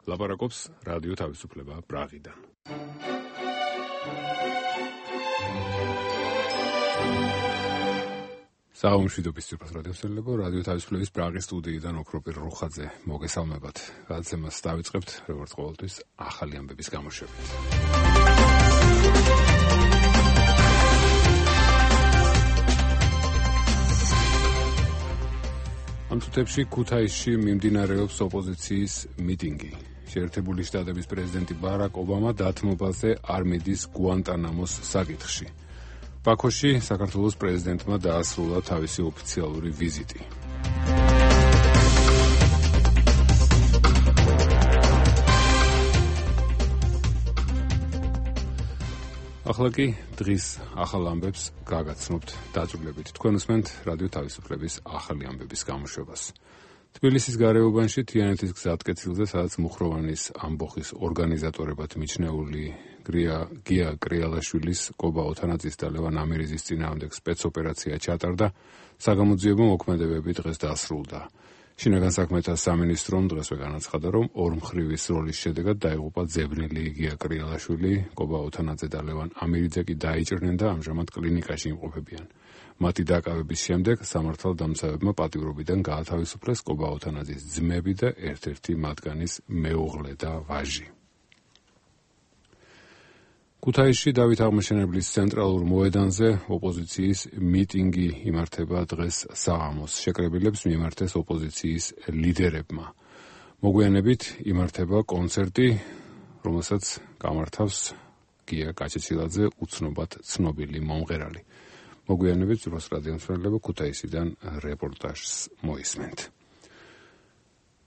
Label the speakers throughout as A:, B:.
A: ლაპარაკობს რადიო თავისუფლება პრაღიდან. საომშვიდობის ძვირფას რადიოსელებო, რადიო თავისუფლების პრაღის სტუდიიდან ოქროპირ რუხაძე მოგესალმებათ. გადაცემას დავიწყებთ, როგორც ყოველთვის, ახალი ამბების გამოშვებით. ამ თუთებში ქუთაისში მიმდინარეობს ოპოზიციის მიტინგი. შეერთებული შტატების პრეზიდენტი ბარაკ ობამა დათმობაზე არ მიდის გუანტანამოს საკითხში. ბაქოში საქართველოს პრეზიდენტმა დაასრულა თავისი ოფიციალური ვიზიტი. ახლა კი დღის ახალ ამბებს გაგაცნობთ დაწვრილებით. თქვენ უსმენთ რადიო თავისუფლების ახალი ამბების გამოშვებას. თბილისის გარეუბანში თიანეთის გზატკეცილზე, სადაც მუხროვანის ამბოხის ორგანიზატორებად მიჩნეული გია კრიალაშვილის, კობა ოთანაძის და ლევან ამირიზის წინააღმდეგ სპეცოპერაცია ჩატარდა, საგამოძიებო მოქმედებები დღეს დასრულდა. შინაგან საქმეთა სამინისტრომ დღესვე განაცხადა, რომ ორმხრივის როლის შედეგად დაიღუპა ძებნილი გია კრიალაშვილი, კობა ოთანაძე და ლევან ამირიძე კი დაიჭრნენ და ამჟამად კლინიკაში იმყოფებიან. მათი დაკავების შემდეგ სამართალდამცავებმა პატიმრობიდან გაათავისუფლეს კობა ოთანაძის ძმები და ერთ-ერთი მათგანის მეუღლე და ვაჟი. ქუთაისში დავით აღმაშენებლის ცენტრალურ მოედანზე ოპოზიციის მიტინგი იმართება დღეს საღამოს. შეკრებილებს მიემართეს ოპოზიციის ლიდერებმა. მოგვიანებით იმართება კონცერტი, რომელსაც გამართავს გია კაჩეცილაძე, უცნობად ცნობილი მომღერალი. მოგვიანებით ძვირფას რადიომსმენელებო ქუთაისიდან რეპორტაჟს მოისმენთ.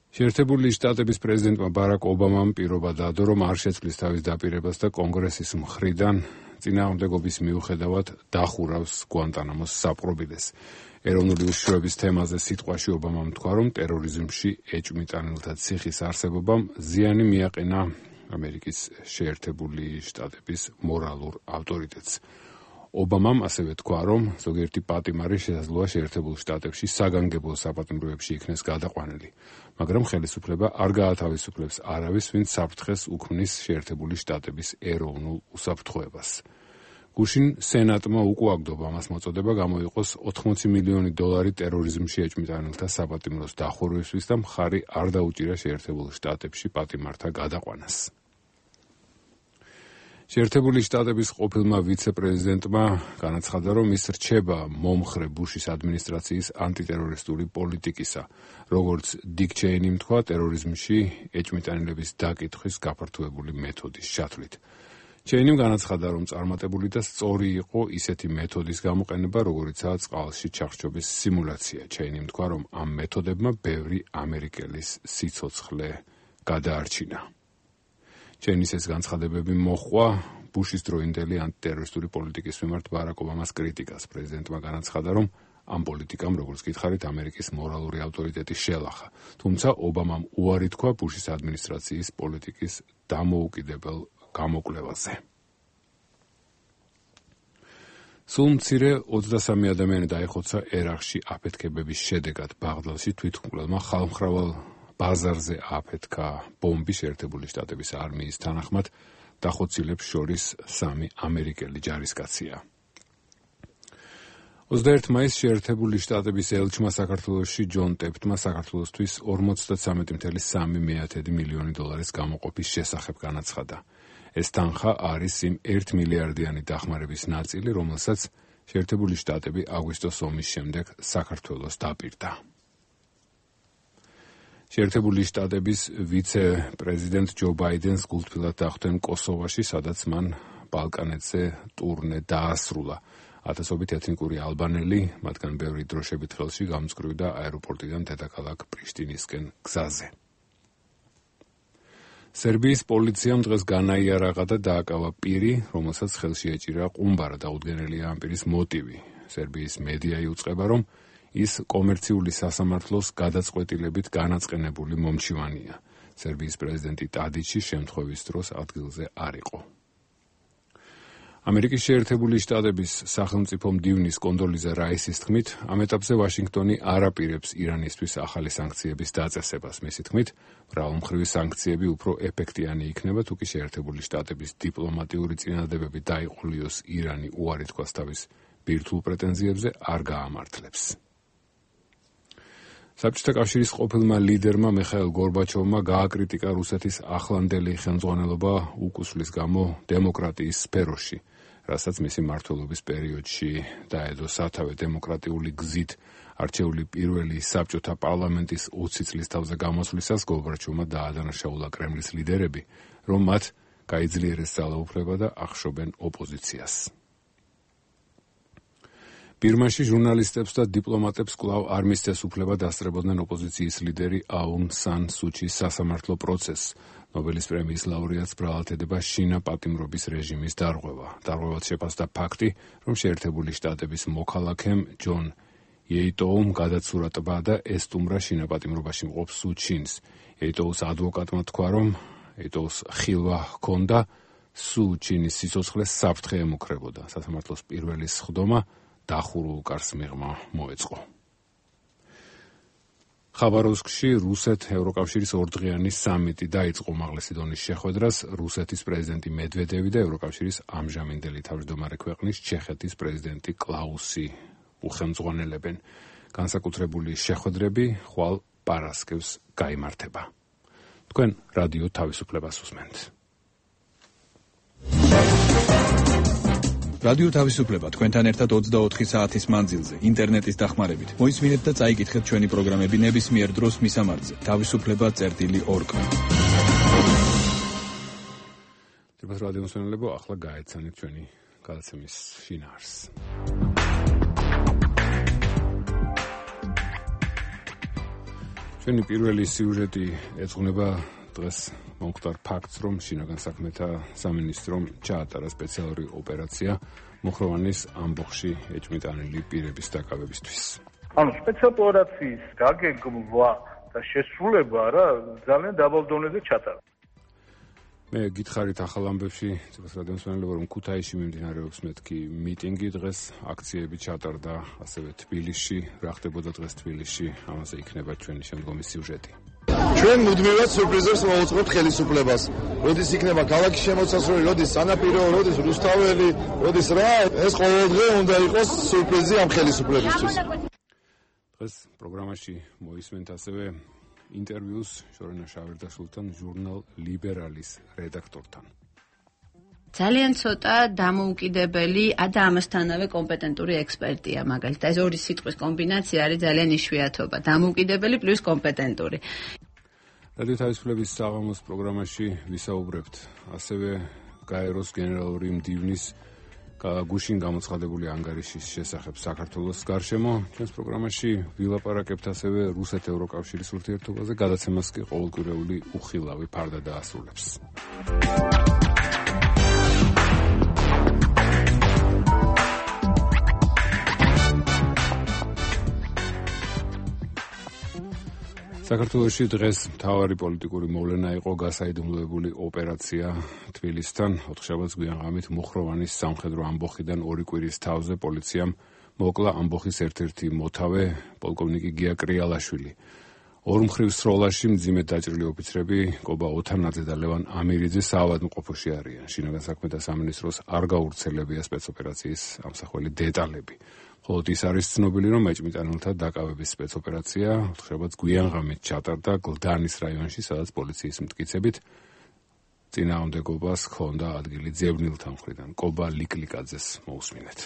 A: შეერთებული შტატების პრეზიდენტმა ბარაკ ობამამ პირობა დადო, რომ არ შეცვლის თავის დაპირებას და კონგრესის მხრიდან წინააღმდეგობის მიუხედავად დახურავს გუანტანამოს საპყრობილეს. ეროვნული უშიშროების თემაზე სიტყვაში ობამამ თქვა, რომ ტერორიზმში ეჭვმიტანილთა ციხის არსებობამ ზიანი მიაყენა ამერიკის შეერთებული შტატების მორალურ ავტორიტეტს. ობამამ ასევე თქვა, რომ ზოგიერთი პატიმარი შესაძლოა შეერთებულ შტატებში საგანგებო საპატიმროებში იქნეს გადაყვანილი, მაგრამ ხელისუფლება არ გაათავისუფლებს არავის, ვინც საფრთხეს უქმნის შეერთებული შტატების ეროვნულ უსაფრთხოებას. გუშინ სენატმა უკუაგდო ობამას მოწოდება გამოიყოს $80 მილიონი ტერორიზმში ეჭვმიტანილთა საპატიმროს დახურვისთვის და მხარი არ დაუჭირა შეერთებულ შტატებში პატიმართა გადაყვანას. შეერთებული შტატების ყოფილმა ვიცე-პრეზიდენტმა განაცხადა, რომ ის რჩება მომხრე ბუშის ადმინისტრაციის ანტიტერორისტული პოლიტიკისა, როგორც დიკ ჩეინიმ თქვა, ტერორიზმში ეჭვმიტანილების დაკითხვის გაფართოებული მეთოდის ჩათვლით. ჩეინიმ განაცხადა, რომ წარმატებული და სწორი იყო ისეთი მეთოდის გამოყენება, როგორიცაა წყალში ჩახშობის სიმულაცია. ჩეინიმ თქვა, რომ ამ მეთოდებმა ბევრი ამერიკელის სიცოცხლე გადაარჩინა. ჩეინის ეს განცხადებები მოჰყვა ბუშის დროინდელი ანტიტერორისტული პოლიტიკის მიმართ ბარაკ ობამას კრიტიკას. პრეზიდენტმა განაცხადა, რომ ამ პოლიტიკამ, როგორც გითხარით, ამერიკის მორალური ავტორიტეტი შელახა. თუმცა ობამამ უარი თქვა ბუშის ადმინისტრაციის პოლიტიკის დამოუკიდებელ გამოკვლევაზე. სულ მცირე 23 ადამიანი დაიხოცა ერაყში აფეთქებების შედეგად. ბაღდადში თვითმკვლელმა ხალხმრავალ ბაზარზე აფეთქა ბომბი. შეერთებული შტატების არმიის თანახმად დახოცილებს შორის 3 ამერიკელი ჯარისკაცია. 21 მაისს შეერთებული შტატების ელჩმა საქართველოში ჯონ ტეპტმა საქართველოსთვის $43.3 მილიონი გამოყოფის შესახებ განაცხადა. ეს თანხა არის იმ 1 მილიარდიანი დახმარების ნაწილი, რომელსაც შეერთებული შტატები აგვისტოს ომის შემდეგ საქართველოს დაპირდა. შეერთებული შტატების ვიცე-პრეზიდენტ ჯო ბაიდენს გულთბილად დახვდნენ კოსოვაში, სადაც მან ბალკანეთზე ტურნე დაასრულა. ათასობით ეთნიკური ალბანელი, მათგან ბევრი დროშებით ხელში, გამწკრივდა აეროპორტიდან დედაქალაქ პრიშტინისკენ გზაზე. სერბიის პოლიციამ დღეს განაიარაღა და დააკავა პირი, რომელსაც ხელში ეჭირა ყუმბარა. დაუდგენელია ამ პირის მოტივი. სერბიის მედია იუწყება, რომ ის კომერციული სასამართლოს გადაწყვეტილებით განაწყენებული მომჩივანია. სერბიის პრეზიდენტი ტადიჩი შემთხვევის დროს ადგილზე არ იყო. ამერიკის შეერთებული შტატების სახელმწიფო მდივნის კონდოლიზა რაისის თქმით, ამ ეტაპზე ვაშინგტონი არ აპირებს ირანისთვის ახალი სანქციების დაწესებას. მისი თქმით, მრავალმხრივი სანქციები უფრო ეფექტიანი იქნება, თუ კი შეერთებული შტატების დიპლომატიური წინადადებები დაიყოლიოს ირანი უარი თქვას თავის ბირთვულ პრეტენზიებზე არ გაამართლებს. საბჭოთა კავშირის ყოფილმა ლიდერმა მიხაილ გორბაჩოვმა გააკრიტიკა რუსეთის ახლანდელი ხელმძღვანელობა უკუსვლის გამო დემოკრატიის სფეროში, რასაც მისი მმართველობის პერიოდში დაედო სათავე დემოკრატიული გზით არჩეული პირველი საბჭოთა პარლამენტის 20 წლის თავზე გამოსვლისას გორბაჩოვმა დაადანაშაულა კრემლის ლიდერები, რომ მათ გაიძლიერეს ძალაუფლება და ახშობენ ოპოზიციას. ბირმაში ჟურნალისტებს და დიპლომატებს კვლავ არ მისცეს უფლება დასწრებოდნენ ოპოზიციის ლიდერი აუნ სან სუჩის სასამართლო პროცესს. ნობელის პრემიის ლაურეატს ბრალად შინა პატიმრობის რეჟიმის დარღვევა. დარღვევად შეფასდა ფაქტი, რომ შეერთებული შტატების მოქალაქემ ჯონ იეიტოუმ გადაცურა ტბა და ესტუმრა შინა პატიმრობაში მყოფ სუჩინს. იეიტოუს ადვოკატმა თქვა, რომ იეიტოუს ხილვა ჰქონდა სუჩინის სიცოცხლეს საფრთხე ემუქრებოდა. სასამართლოს პირველი სხდომა დახურულ კარს მიღმა მოეწყო. ხაბაროვსკში რუსეთ-ევროკავშირის ორდღიანი სამიტი დაიწყო უმაღლესი დონის შეხვედრას რუსეთის პრეზიდენტი მედვედევი და ევროკავშირის ამჟამინდელი თავმჯდომარე ქვეყნის ჩეხეთის პრეზიდენტი კლაუსი უხელმძღვანელებენ. განსაკუთრებული შეხვედრები ხვალ პარასკევს გაიმართება. თქვენ რადიო თავისუფლებას უსმენთ.
B: რადიო თავისუფლება თქვენთან ერთად 24 საათის მანძილზე ინტერნეტის დახმარებით. მოისმინეთ და წაიკითხეთ ჩვენი პროგრამები ნებისმიერ დროს მისამართზე. თავისუფლება.org.
A: თვითონ რადიო მსმენელებო, ახლა გაეცანით ჩვენი გადაცემის შინაარსს. ჩვენი პირველი სიუჟეტი ეძღვნება დღეს მომხდარ ფაქტს, რომ შინაგან საქმეთა სამინისტრომ ჩაატარა სპეციალური ოპერაცია მუხროვანის ამბოხში ეჭვმიტანილი პირების დაკავებისთვის.
C: ანუ სპეციალური ოპერაციის გაგეგმვა და შესრულება რა ძალიან დაბალ დონეზე ჩატარდა.
A: მე გითხარით ახალ ამბებში, ცოტა რადიომსმენელებო, რომ ქუთაისში მიმდინარეობს მეთქი მიტინგი დღეს, აქციები ჩატარდა ასევე თბილისში, რა ხდებოდა დღეს თბილისში, ამაზე იქნება ჩვენი შემდგომი სიუჟეტი.
D: ჩვენ მუდმივად სურპრიზებს მოვუწყებთ ხელისუფლებას. როდის იქნება ქალაქის შემოსასვლელი, როდის სანაპირო, როდის რუსთაველი, როდის რა, ეს ყოველდღე უნდა იყოს სურპრიზი ამ ხელისუფლებისთვის.
A: დღეს პროგრამაში მოისმენთ ასევე ინტერვიუს შორენა შავერდაშვილთან ჟურნალ ლიბერალის რედაქტორთან.
E: ძალიან ცოტა დამოუკიდებელი და ამასთანავე კომპეტენტური ექსპერტია, მაგალითად, ეს ორი სიტყვის კომბინაცია არის ძალიან იშვიათობა. დამოუკიდებელი პლუს კომპეტენტური.
A: რადიო თავისუფლების საღამოს პროგრამაში ვისაუბრებთ ასევე გაეროს გენერალური მდივნის გუშინ გამოცხადებული ანგარიშის შესახებ საქართველოს გარშემო. ჩვენს პროგრამაში ვილაპარაკებთ ასევე რუსეთ-ევროკავშირის ურთიერთობაზე, გადაცემას კი ყოველკვირეული უხილავი ფარდა დაასრულებს. საქართველოში დღეს მთავარი პოლიტიკური მოვლენა იყო გასაიდუმლოებული ოპერაცია თბილისთან. ოთხშაბათს გვიანღამით მუხროვანის სამხედრო ამბოხიდან 2 კვირის თავზე პოლიციამ მოკლა ამბოხის ერთ-ერთი მოთავე პოლკოვნიკი გია კრიალაშვილი. ორმხრივ სროლაში მძიმედ დაჭრილი ოფიცრები კობა ოთანაძე და ლევან ამირიძე საავადმყოფოში არიან. შინაგან საქმეთა სამინისტროს არ გაურცელებია სპეცოპერაციის ამსახველი დეტალები. ხოლო ის არის ცნობილი, რომ ეჭვმიტანილთა დაკავების სპეცოპერაცია ოთხშაბათს გვიანღამით ჩატარდა გლდანის რაიონში, სადაც პოლიციის მტკიცებით წინააღმდეგობას ჰქონდა ადგილი ძებნილთა მხრიდან. კობა ლიკლიკაძეს მოусმინეთ.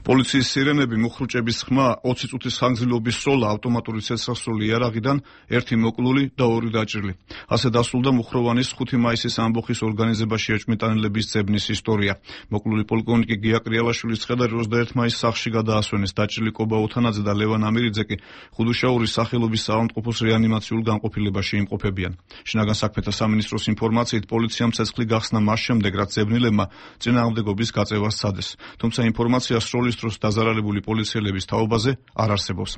F: პოლიციის სირენები, მუხრუჭების ხმა, 20 წუთის ხანგრძლივობის სროლა, ავტომატური ცეცხლსროლი იარაღიდან, 1 მოკლული და 2 დაჭრილი. ასე დასრულდა მუხროვანის 5 მაისის ამბოხის ორგანიზებაში ეჭვმიტანილების ძებნის ისტორია. მოკლული პოლკოვნიკი გია კრიალაშვილის ცხედარი 21 მაისს სახლში გადაასვენეს. დაჭრილი კობა ოთანაძე და ლევან ამირიძე კი ხუდუშაურის სახელობის საავადმყოფოს რეანიმაციულ განყოფილებაში იმყოფებიან. შინაგან საქმეთა სამინისტროს ინფორმაციით, პოლიციამ ცეცხლი გახსნა მას შემდეგ, რაც ძებნილებმა წინააღმდეგობის გაწევას სცადეს. თუმცა ინფორმაცია სროლის დროს დაზარალებული პოლიციელების თაობაზე არ არსებობს.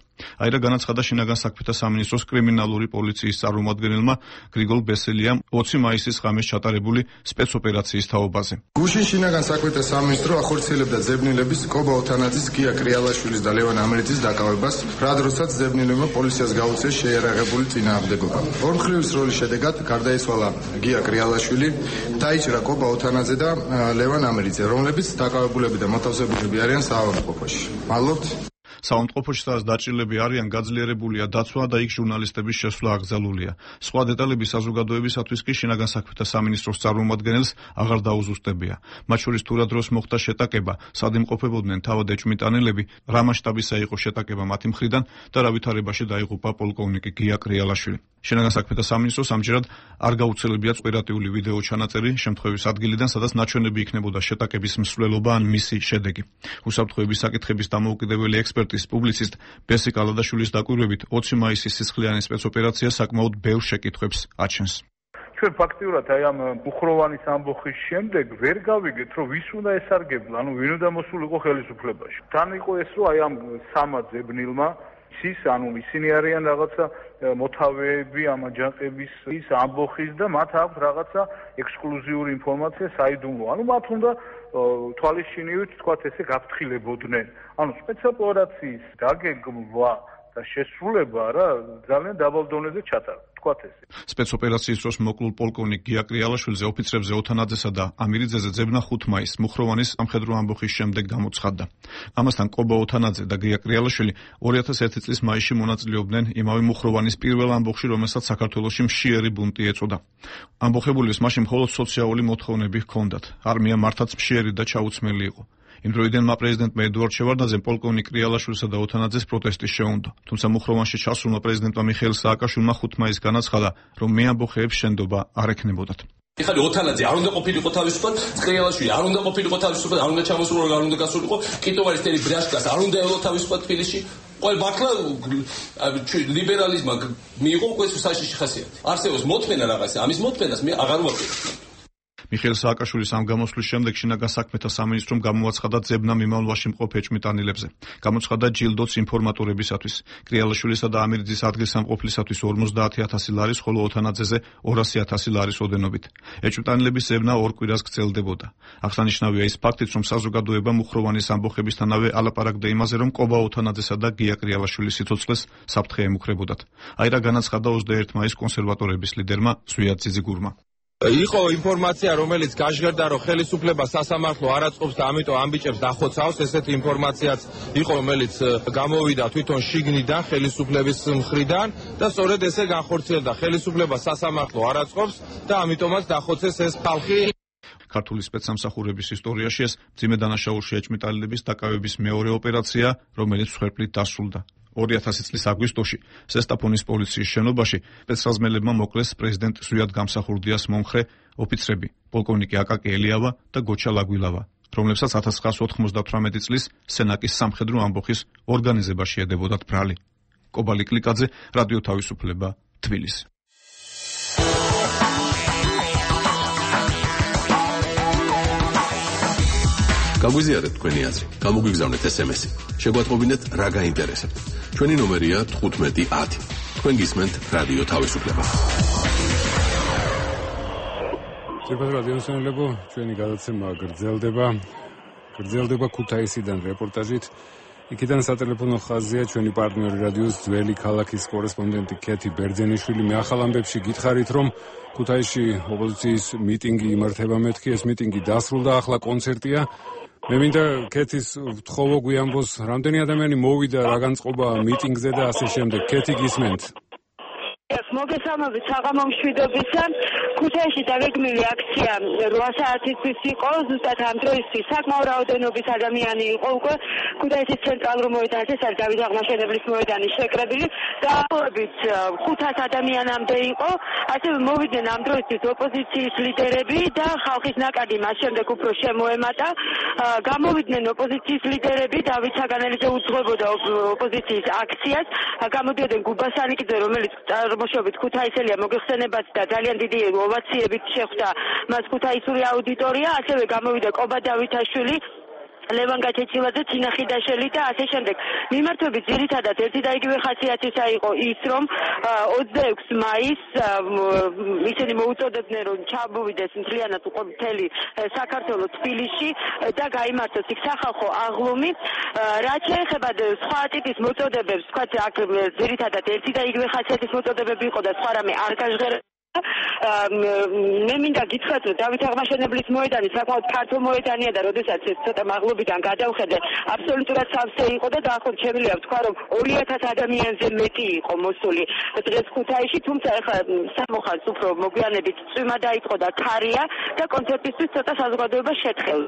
F: აირა განაცხადა შინაგან საქმეთა სამინისტროს კრიმინალური პოლიციის წარმომადგენელმა გრიგოლ ბესელიამ 20 მაისის ღამეს ჩატარებული სპეცოპერაციის თაობაზე.
G: გუშინ შინაგან საქმეთა სამინისტრო ახორციელებდა ზებნილების კობა ოთანაძის, გია კრიალაშვილის და ლევან ამერიცის დაკავებას, რა დროსაც ზებნილებმა პოლიციას გაუწიეს შეიარაღებული წინააღმდეგობა. ორმხრივის როლის შედეგად გარდაიცვალა გია კრიალაშვილი, დაიჭრა კობა ოთანაძე და ლევან ამერიძე, რომლებიც დაკავებულები და მოთავსებულები არიან საავადმყოფოში. მადლობთ.
F: საავადმყოფოში სადაც დაჭრილები არიან, გაძლიერებულია დაცვა და იქ ჟურნალისტების შესვლა აკრძალულია. სხვა დეტალები საზოგადოებისათვის კი შინაგან საქმეთა სამინისტროს წარმომადგენელს აღარ დაუზუსტებია. მათ შორის თუ რა დროს მოხდა შეტაკება, სად იმყოფებოდნენ თავად ეჭვმიტანილები, რა მასშტაბისა იყო შეტაკება მათი მხრიდან და რა ვითარებაში დაიღუპა პოლკოვნიკი გია კრიალაშვილი. შინაგან საქმეთა სამინისტროს ამჯერად არ გაუცელებია ოპერატიული ვიდეო ჩანაწერი შემთხვევის ადგილიდან, სადაც ნაჩვენები იქნებოდა შეტაკების მსვლელობა ან მისი შედეგი. უსაფრთხოების საკითხების დამოუკიდებელი ექსპერტის პუბლიცისტ ბესი კალადაშვილის დაკვირვებით 20 მაისის სისხლიანი სპეცოპერაცია საკმაოდ ბევრ შეკითხვებს აჩენს.
C: ჩვენ ფაქტიურად აი ამ მუხროვანის ამბოხის შემდეგ ვერ გავიგეთ, რომ ვის უნდა ესარგებლა, ვინ უნდა მოსულიყო ხელისუფლებაში. თან იყო ეს, რომ აი ამ სამა ზებნილმა ისინი არიან რაღაცა მოთავეები ამ აჯანყების ამბოხის და მათ აქვს რაღაცა ექსკლუზიური ინფორმაცია საიდუმლო. მათ უნდა თვალისჩინივით თქვათ ესე გაფრთხილებოდნენ. სპეცოპერაციის დაგეგმვა და შესრულება რა ძალიან დაბალ დონეზე ჩატარდა.
F: სპეცოპერაციის დროს მოკლულ პოლკოვნიკ გია კრიალაშვილზე ოფიცრებზე ოთანაძესა და ამირიძეზე ძებნა 5 მაისს მუხროვანის სამხედრო ამბოხის შემდეგ გამოცხადდა. ამასთან კობა ოთანაძე და გია კრიალაშვილი 2001 წლის მაისში მონაწილეობდნენ იმავე მუხროვანის პირველ ამბოხში, რომელსაც საქართველოში მშიერი ბუნტი ეწოდა. ამბოხებულის მაშინ მხოლოდ სოციალური მოთხოვნები ჰქონდათ. არმია მართაც მშიერი და ჩაუცმელი იყო. იმ დროიდანმა პრეზიდენტმა ედუარდ შევარდნაძემ პოლკოვნიკ კრიალაშვილსა და ოთანაძეს პროტესტი შეუნდო. თუმცა მუხროვანში ჩასულმა პრეზიდენტმა მიხეილ სააკაშვილმა 5 მაისს განაცხადა, რომ მეამბოხეებს შენდობა არ ექნებოდათ.
H: ეხლა ოთანაძე არ უნდა ყოფილიყო თავისუფლად, კრიალაშვილი არ უნდა ყოფილიყო თავისუფლად, არ უნდა ჩამოსულიყო, არ უნდა გასულიყო, კიტოვარის თელი ბრაშკას არ უნდა ელო თავისუფლად თბილისში. ყოველ ბაქლა ლიბერალიზმმა მიიღო უკვე საშიში ხასიათი. არსებობს მოთმენა რაღაცა, ამის მოთმენას მე აღარ ვაპირებ.
F: მიხეილ სააკაშვილის ამ გამოსვლის შემდეგ შინაგან საქმეთა სამინისტრომ გამოაცხადა ძებნა მიმავლობაში მყოფ ეჭვმიტანილებზე. გამოცხადა ჯილდოც ინფორმატორებისათვის. კრიალაშვილისა და ამირიძის ადგილსამყოფლისათვის 50,000 ლარის, ხოლო ოთანაძეზე 200,000 ლარის ოდენობით. ეჭვმიტანილების ძებნა 2 კვირას გრძელდებოდა. აღსანიშნავია ის ფაქტიც, რომ საზოგადოება მუხროვანის ამბოხებისთანავე ალაპარაკდა იმაზე, რომ კობა ოთანაძესა და გია კრიალაშვილის სიცოცხლეს საფრთხე ემუქრებოდათ. აირა განაცხადა 21 მაისს კონსერვატორების ლიდერმა ზვიად ძიძიგურმა.
I: იყო ინფორმაცია, რომელიც გაჟღერდა, რომ ხელისუფლება სასამართლო არ აწყობს და ამიტომ ამბიჭებს დახოცავს. ესეთი ინფორმაციაც იყო, რომელიც გამოვიდა თვითონ შიგნიდან ხელისუფლების მხრიდან და სწორედ ესე განხორციელდა. ხელისუფლება სასამართლო არ აწყობს და ამიტომაც დახოცეს ეს ხალხი.
F: ქართული სპეცსამსახურების ისტორიაში ეს მძიმე დანაშაულში ეჭვმიტანილების დაკავების მეორე ოპერაცია, რომელიც მსხვერპლით დასრულდა. 2000 წლის აგვისტოში ზესტაფონის პოლიციის შენობაში სპეცრაზმელებმა მოკლეს პრეზიდენტ ზვიად გამსახურდიას მომხრე ოფიცრები პოლკოვნიკი აკაკი ელიავა და გოჩა ლაგვილავა, რომლებსაც 1998 წლის სენაკის სამხედრო ამბოხის ორგანიზებაში ედებოდათ ბრალი. კობალი კლიკაძე, რადიო თავისუფლება, თბილისი.
J: გაგვიზიარეთ თქვენი აზრი, გამოგვიგზავნეთ SMS-ი. შეგვატყობინეთ რა გაინტერესებთ. ჩვენი ნომერია 1510. თქვენ გისმენთ რადიო თავისუფლება.
A: ძირფას რადიოსანელებო, ჩვენი გადაცემა გრძელდება ქუთაისიდან რეპორტაჟით. იქიდან სატელეფონო ხაზია ჩვენი პარტნიორი რადიოს ძველი ქალაქის კორესპონდენტი ქეთი ბერძენიშვილი. მე ახალ ამბებში გითხარით, რომ ქუთაისში ოპოზიციის მიტინგი იმართება მეთქი, ეს მიტინგი დასრულდა, ახლა კონცერტია. მე მინდა ქეთის ვთხოვო გვიამბოს, რამდენი ადამიანი მოვიდა, რა განწყობა მიტინგზე და ასე შემდეგ. ქეთი გისმენთ.
K: მოგესალმებით საღამო მშვიდობისგან. ქუთაისში დაგეგმილი აქცია 8 საათისთვის იყო, ზუსტად ამ დროისთვის საკმაო რაოდენობის ადამიანი იყო უკვე ქუთაისის ცენტრალურ მოედანზე, სადაც დავით აღმაშენებლის მოედანი შეკრებილი და დაახლოებით 500 ადამიანამდე იყო. ასევე მოვიდნენ ამ დროისთვის ოპოზიციის ლიდერები და ხალხის ნაკადი მას შემდეგ უფრო შემოემატა. გამოვიდნენ ოპოზიციის ლიდერები, დავით საგანელიძე უძღვებოდა ოპოზიციის აქციას, გამოდიოდნენ გუბასანიკიძე, რომელიც წარმოშობით ქუთაისელია, მოგეხსენებათ და ძალიან დიდი ოვაციებით შეხვდა მას ქუთაისური აუდიტორია. ასევე გამოვიდა კობა დავითაშვილი, ლევან გაჩეჩილაძე, ცინა ხიდაშელი და ასე შემდეგ. მიმართვები ძირითადად ერთი და იგივე ხასიათისა იყო ის, რომ 26 მაისს ისინი მოუწოდებდნენ, რომ ჩამოვიდეს მთლიანად მთელი საქართველო თბილისში და გაიმართოს იქ სახალხო აღლუმი. რაც შეეხება სხვა ტიპის მოწოდებებს, თქვა აქ ძირითადად ერთი და იგივე ხასიათის მოწოდებები იყო და სხვა რამე არ გაჟღერა. მე მინდა გითხრათ, რომ დავით აღმაშენებლის მოედანი საკმაოდ ფართო მოედანია და როდესაც ეს ცოტა მაღლობიდან გადავხედე, აბსოლუტურად სავსე იყო და დაახლოებით შემიძლია ვთქვა, რომ 2000 ადამიანზე მეტი იყო მოსული დღეს ქუთაისში, თუმცა ახლა სამოხაზს უფრო მოგვიანებით წვიმა დაიწყო და ქარია და კონცერტისთვის ცოტა საზოგადოება შეთხევს.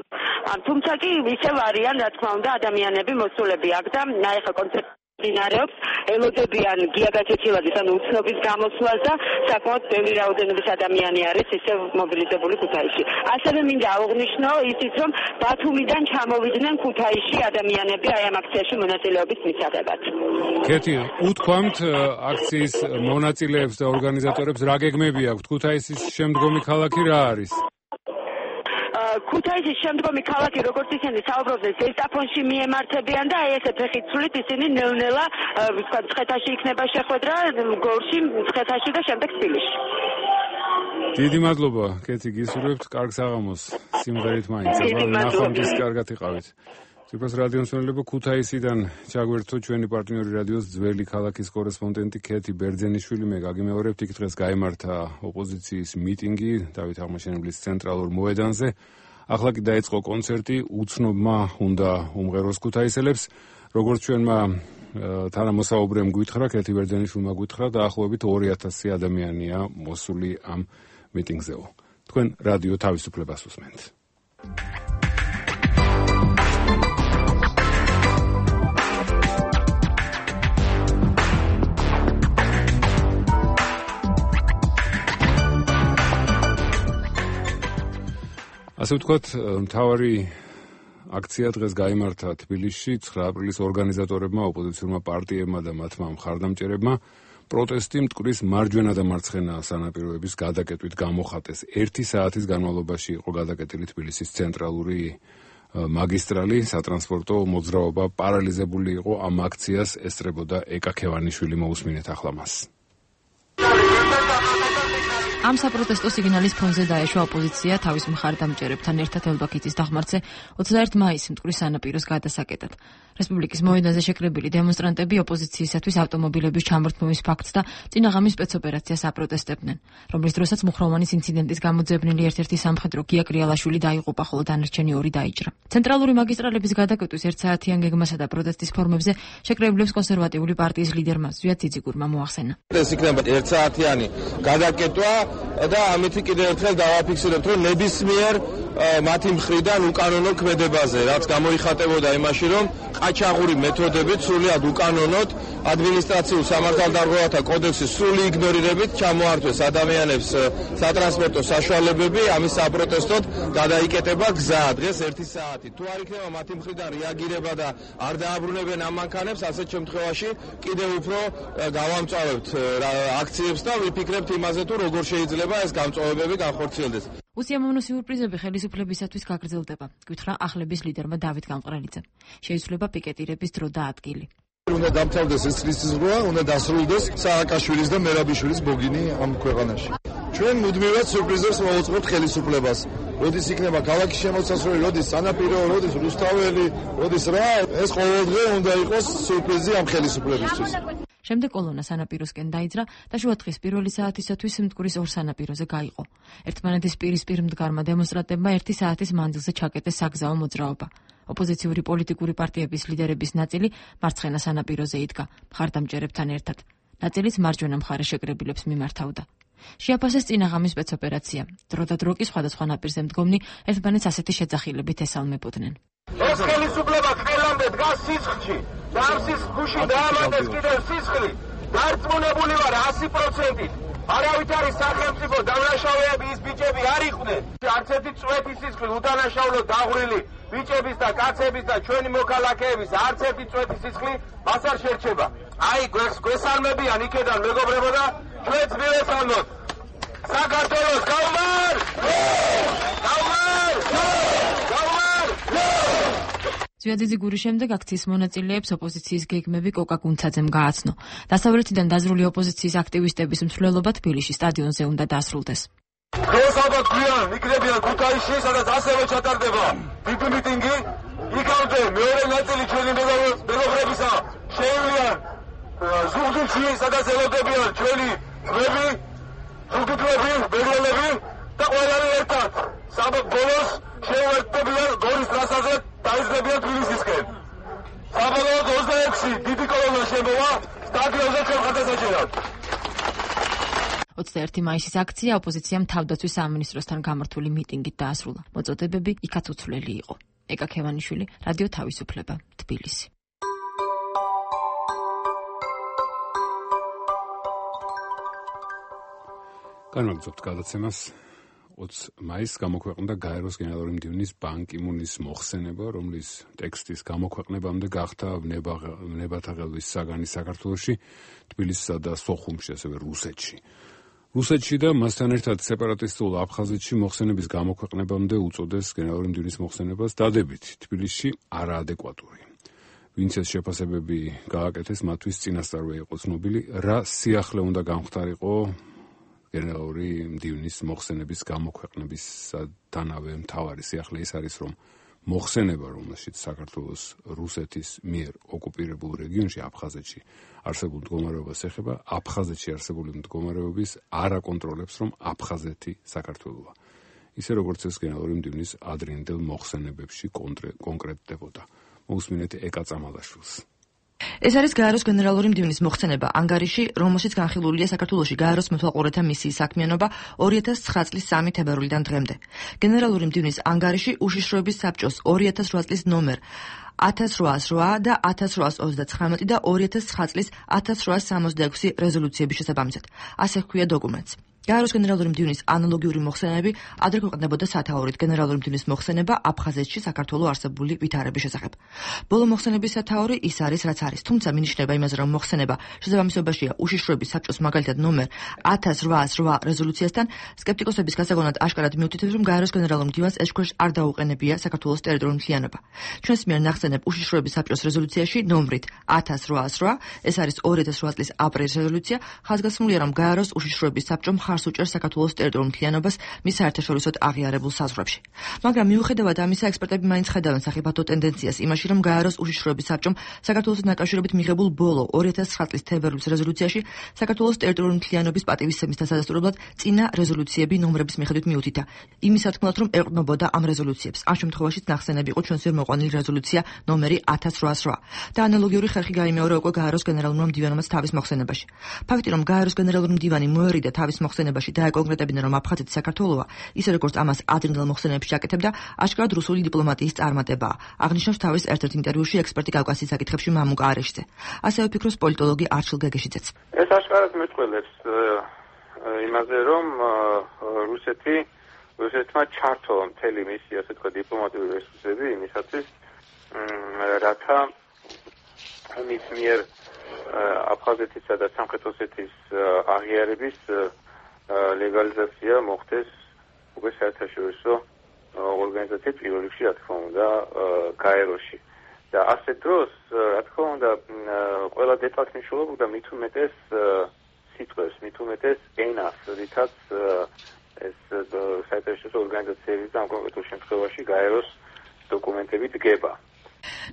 K: თუმცა კი ისევ არიან, რა თქმა უნდა, ადამიანები მოსულები აქ და ახლა კონცერტი დინარეობს, ელოდებიან გია გაჩეჩილაძის ანუ უცნობის გამოსვლას და საკმაოდ ბევრი რაოდენობის ადამიანი არის ისევ მობილიზებული ქუთაისში. ასევე მინდა აღვნიშნო ისიც, რომ ბათუმიდან ჩამოვიდნენ ქუთაისში ადამიანები აი ამ აქციაში მონაწილეობის მისაღებად.
A: კეთი, უთქვამთ აქციის მონაწილეებს და ორგანიზატორებს რა გეგმები აქვთ? ქუთაისის შემდგომი ქალაქი რა არის?
K: ქუთაისის შემდგომი ქალაქი, როგორც ისინი საუბრობდნენ, ზესტაფონში მიემართებიან და აი ესე ფეხით სულით ისინი ნელ-ნელა ვთქვა მცხეთაში იქნება შეხვედრა, გორში, მცხეთაში და შემდეგ თბილისში.
A: დიდი მადლობა, კეთი, გისურვებთ კარგ საღამოს. სიმღერით მაინც, ნახვამდის კარგად იყავით. ციფროს რადიო მსმენელებო, ქუთაისიდან ჩაგვერთო ჩვენი პარტნიორი რადიოს ძველი ქალაქის კორესპონდენტი კეთი ბერძენიშვილი. მე გაგიმეორებთ, იქ დღეს გაიმართა ოპოზიციის მიტინგი დავით აღმაშენებლის ცენტრალურ მოედანზე. ახლა კი დაიწყო კონცერტი, უცნობმა უნდა უმღეროს ქუთაისელებს. როგორც ჩვენმა თანამოსაუბრემ გვითხრა, კეთი ბერძენიშვილმა გვითხრა, დაახლოებით 2000 ადამიანია მოსული ამ მიტინგზეო. თქვენ რადიო თავისუფლებას უსმენთ. ასე ვთქვათ, მთავარი აქცია დღეს გაიმართა თბილისში 9 აპრილის ორგანიზატორებმა, ოპოზიციურმა პარტიებმა და მათმა მხარდამჭერებმა პროტესტი მტკვრის მარჯვენა და მარცხენა სანაპიროების გადაკეტვით გამოხატეს. 1 საათის განმავლობაში იყო გადაკეტილი თბილისის ცენტრალური მაგისტრალი, სატრანსპორტო მოძრაობა პარალიზებული იყო. ამ აქციას ესწრებოდა ეკა ქევანიშვილი. მოусმინეთ ახლა მას.
L: ამ საპროტესტო სიგნალის ფონზე დაეშვა ოპოზიცია თავის მხარდამჭერებთან ერთად ელბაქიძის დახმარზე 21 მაისს მტკვრის სანაპიროს გადასაკეტად. რესპუბლიკის მოედანზე შეკრებილი დემონსტრანტები ოპოზიციისათვის ავტომობილების ჩამორთმევის ფაქტს და წინაღამის სპეცოპერაციას აპროტესტებდნენ, რომლის დროსაც მუხროვანის ინციდენტის გამოძებნილი ერთ-ერთი სამხედრო გია კრიალაშვილი დაიღუპა, ხოლო დანარჩენი 2 დაიჭრა. ცენტრალური მაგისტრალების გადაკეტვის 1 საათიან გეგმასა და პროტესტის ფორმებზე შეკრებილებს კონსერვატიული პარტიის ლიდერმა ზვიად ციციკურმა მოახსენა.
I: ეს იქნება 1 საათიანი გადაკეტვა და ამით კიდევ ერთხელ დავაფიქსირებთ, რომ ნებისმიერ მათი მხრიდან უკანონო ქმედებაზე, რაც გამოიხატებოდა იმაში, რომ ყაჩაღური მეთოდებით სრულად უკანონოდ ადმინისტრაციულ სამართალდამცავთა კოდექსის სრული იგნორირებით ჩამოართვეს ადამიანებს სატრანსპორტო საშუალებები. ამის საპროტესტოდ გადაიკეტება გზა დღეს 1 საათი. თუ არ იქნება მათი მხრიდან რეაგირება და არ დააბრუნებენ ამ მანქანებს, ასეთ შემთხვევაში კიდევ უფრო გავამწვავებთ აქციებს და ვიფიქრებთ იმაზე, თუ როგორ შეიძლება ეს გამწვავებები განხორციელდეს.
L: უსიამოვნო სიურპრიზები ხელისუფლებისათვის გაგრძელდება, გითხრა ახლების ლიდერმა დავით გამყრელიძემ. შეიცვლება პიკეტირების დრო და ადგილი.
D: უნდა დამთავრდეს ეს წლისძღვა, უნდა დასრულდეს სააკაშვილის და მერაბიშვილის ბოგინი ამ ქვეყანაში. ჩვენ მუდმივად სიურპრიზებს მოვუწყობთ ხელისუფლებას. როდის იქნება ქალაქის შემოსასვლელი, როდის სანაპირო, როდის რუსთაველი, როდის რა, ეს ყოველდღე უნდა იყოს სიურპრიზი ამ ხელისუფლებისთვის.
L: შემდეგ კოლონა სანაპიროსკენ დაიძრა და შუადღის პირველი საათისათვის მტკვრის 2 სანაპიროზე გაიყო. ერთმანეთის პირისპირ მდგარმა დემონსტრანტებმა 1 საათის მანძილზე ჩაკეტეს საგზაო მოძრაობა. ოპოზიციური პოლიტიკური პარტიების ლიდერების ნაწილი მარცხენა სანაპიროზე იდგა მხარდამჭერებთან ერთად. ნაწილიც მარჯვენა მხარე შეკრებილებს მიმართავდა. შეაფასეს წინაღამის სპეცოპერაცია. დრო და დრო კი სხვადასხვა ნაპირზე მდგომნი ერთმანეთს ასეთი შეძახილებით ესალმებოდნენ.
I: ეს ხელისუფლება ყველამდე დგას სისხლში და ამ სისხლში დაამატეს კიდევ სისხლი. დარწმუნებული ვარ 100%-ით. არავით არის სახელმწიფო დამნაშავეები, ის ბიჭები არ იყვნენ. არც ერთი წვეთი სისხლი უდანაშაულო დაღვრილი ბიჭების და კაცების და ჩვენი მოქალაქეების არც ერთი წვეთი სისხლი მას არ შერჩება. აი გვესალმებიან იქედან მეგობრებო და ჩვენც მივესალმოთ. საქართველოს გაუმარ! გაუმარ! გაუმარ!
L: ზვიაძიძის გურის შემდეგ აქციის მონაწილეებს ოპოზიციის გეგმები კოკა გუნცაძემ გააცნო. დასავლეთიდან დაზრული ოპოზიციის აქტივისტების მსვლელობა თბილისში სტადიონზე უნდა დასრულდეს.
M: დღეს ალბათ გვიან იქნებიან ქუთაისში, სადაც ასევე ჩატარდება დიდი მიტინგი. იქამდე მეორე ნაწილი ჩვენი მეგობრებისა შეივლიან ზუგდიდში, სადაც ელოდებიან ჩვენი ძმები, ზუგდიდლები, ბერძნები და ყველანი ერთად. საბოლოოს შეუერთდებიან გორის ტრასაზე დაიზრდებიან თბილისისკენ. საბოლოოდ 26 დიდი კოლონა შემოვა სტადიონზე ჩვენ ხარდასაჭერად.
L: 21 მაისის აქცია ოპოზიციამ თავდაცვის სამინისტროსთან გამართული მიტინგით დაასრულა. მოწოდებები იქაც უცვლელი იყო. ეკა ქევანიშვილი, რადიო თავისუფლება, თბილისი.
A: განვაგრძობთ გადაცემას. 20 მაისს გამოქვეყნდა გაეროს გენერალური მდივნის ბან კი მუნის მოხსენება, რომლის ტექსტის გამოქვეყნებამდე გახდა ვნებათა ღელვის საგანი საქართველოში, თბილისსა და სოხუმში, ასევე რუსეთში. რუსეთში და მასთან ერთად სეპარატისტულ აფხაზეთში მოხსენების გამოქვეყნებამდე უწოდეს გენერალური მდივნის მოხსენებას დადებით თბილისში არაადეკვატური. ვინც ეს შეფასებები გააკეთეს, მათთვის წინასწარვე იყო ცნობილი, რა სიახლე უნდა გამختارიყო გენერალური მდივნის მოხსენების გამოქვეყნებისთანავე მთავარი სიახლე ის არის, რომ მოხსენება, რომელშიც საქართველოს რუსეთის მიერ ოკუპირებულ რეგიონში აფხაზეთში არსებულ მდგომარეობას ეხება, აფხაზეთში არსებული მდგომარეობის არ აკონტროლებს, რომ აფხაზეთი საქართველოა. ისე როგორც ეს გენერალური მდივნის ადრინდელ მოხსენებებში კონკრეტდებოდა. მოусმინეთ ეკა წამალაშვილს.
N: ეს არის გაეროს გენერალური მდივნის მოხსენება ანგარიში, რომელშიც განხილულია საქართველოში გაეროს მეთვალყურეთა მისიის საქმიანობა 2009 წლის 3 თებერვლიდან დღემდე. გენერალური მდივნის ანგარიში უშიშროების საბჭოს 2008 წლის ნომერ 1808 და 1839 და 2009 წლის 1866 რეზოლუციების შესაბამისად. ასე ჰქვია დოკუმენტს. გაეროს გენერალური მდივნის ანალოგიური მოხსენებები ადრე ქვეყნდებოდა სათაურით გენერალური მდივნის მოხსენება აფხაზეთში საქართველოს არსებული ვითარების შესახებ. ბოლო მოხსენების სათაური ის არის, რაც არის, თუმცა მინიშნება იმაზე, რომ მოხსენება შესაბამისობაშია უშიშროების საბჭოს მაგალითად ნომერ 1808 რეზოლუციასთან, სკეპტიკოსების გასაგონად აშკარად მიუთითებს, რომ გაეროს გენერალურ მდივანს ეჭქვეშ არ დაუყენებია საქართველოს ტერიტორიული მთლიანობა. ჩვენს მიერ ნახსენებ უშიშროების საბჭოს რეზოლუციაში ნომრით 1808, ეს არის 2008 წლის აპრილის რეზოლუცია, ხაზგასმულია, რომ გაეროს უშიშროების საბჭომ ხარს უჭერს საქართველოს ტერიტორიულ მთლიანობას მის საერთაშორისოდ აღიარებულ საზღვრებში. მაგრამ მიუხედავად ამისა, ექსპერტები მაინც ხედავენ სახიფათო ტენდენციას იმაში, რომ გაეროს უშიშროების საბჭომ საქართველოს დაკავშირებით მიღებულ ბოლო 2009 წლის თებერვლის რეზოლუციაში საქართველოს ტერიტორიული მთლიანობის პატივისცემის დასადასტურებლად წინა რეზოლუციები ნომრების მიხედვით მიუთითა. იმის სათქმელად, რომ ეყრდნობოდა ამ რეზოლუციებს. ამ შემთხვევაშიც ნახსენები იყო ჩვენს მიერ მოყვანილი რეზოლუცია ნომერი 1808 და ანალოგიური ხერხი გაიმეორა უკვე გაეროს გენერალურმა მდივანმაც თავის მოხსენებაში. ფაქტი, რომ გაეროს გენერალური მდივანი მოერიდა თავის მოხსენებაში დაეკონკრეტებინა, რომ აფხაზეთი საქართველოა, ისე როგორც ამას ადრინდელ მოხსენებებში აკეთებდა, აშკარად რუსული დიპლომატიის წარმატებაა. აღნიშნავს თავის ერთ-ერთ ინტერვიუში ექსპერტი კავკასიის საკითხებში მამუკა არეშიძე. ასევე ფიქრობს პოლიტოლოგი არჩილ გეგეშიძეც.
O: ეს აშკარად მეტყველებს იმაზე, რომ რუსეთმა ჩართო მთელი მისი, ასე თქვა, დიპლომატიური რესურსები იმისათვის, რათა მის მიერ აფხაზეთისა და სამხრეთ ოსეთის აღიარების ლეგალიზაცია მოხდეს უკვე საერთაშორისო ორგანიზაციის პირველ რიგში, რა თქმა უნდა, გაეროში. და ასეთ დროს, რა თქმა უნდა, ყველა დეტალს მნიშვნელობა მით უმეტეს სიტყვებს, მით უმეტეს ენას, რითაც ეს საერთაშორისო ორგანიზაციების და ამ კონკრეტულ შემთხვევაში გაეროს დოკუმენტები დგება.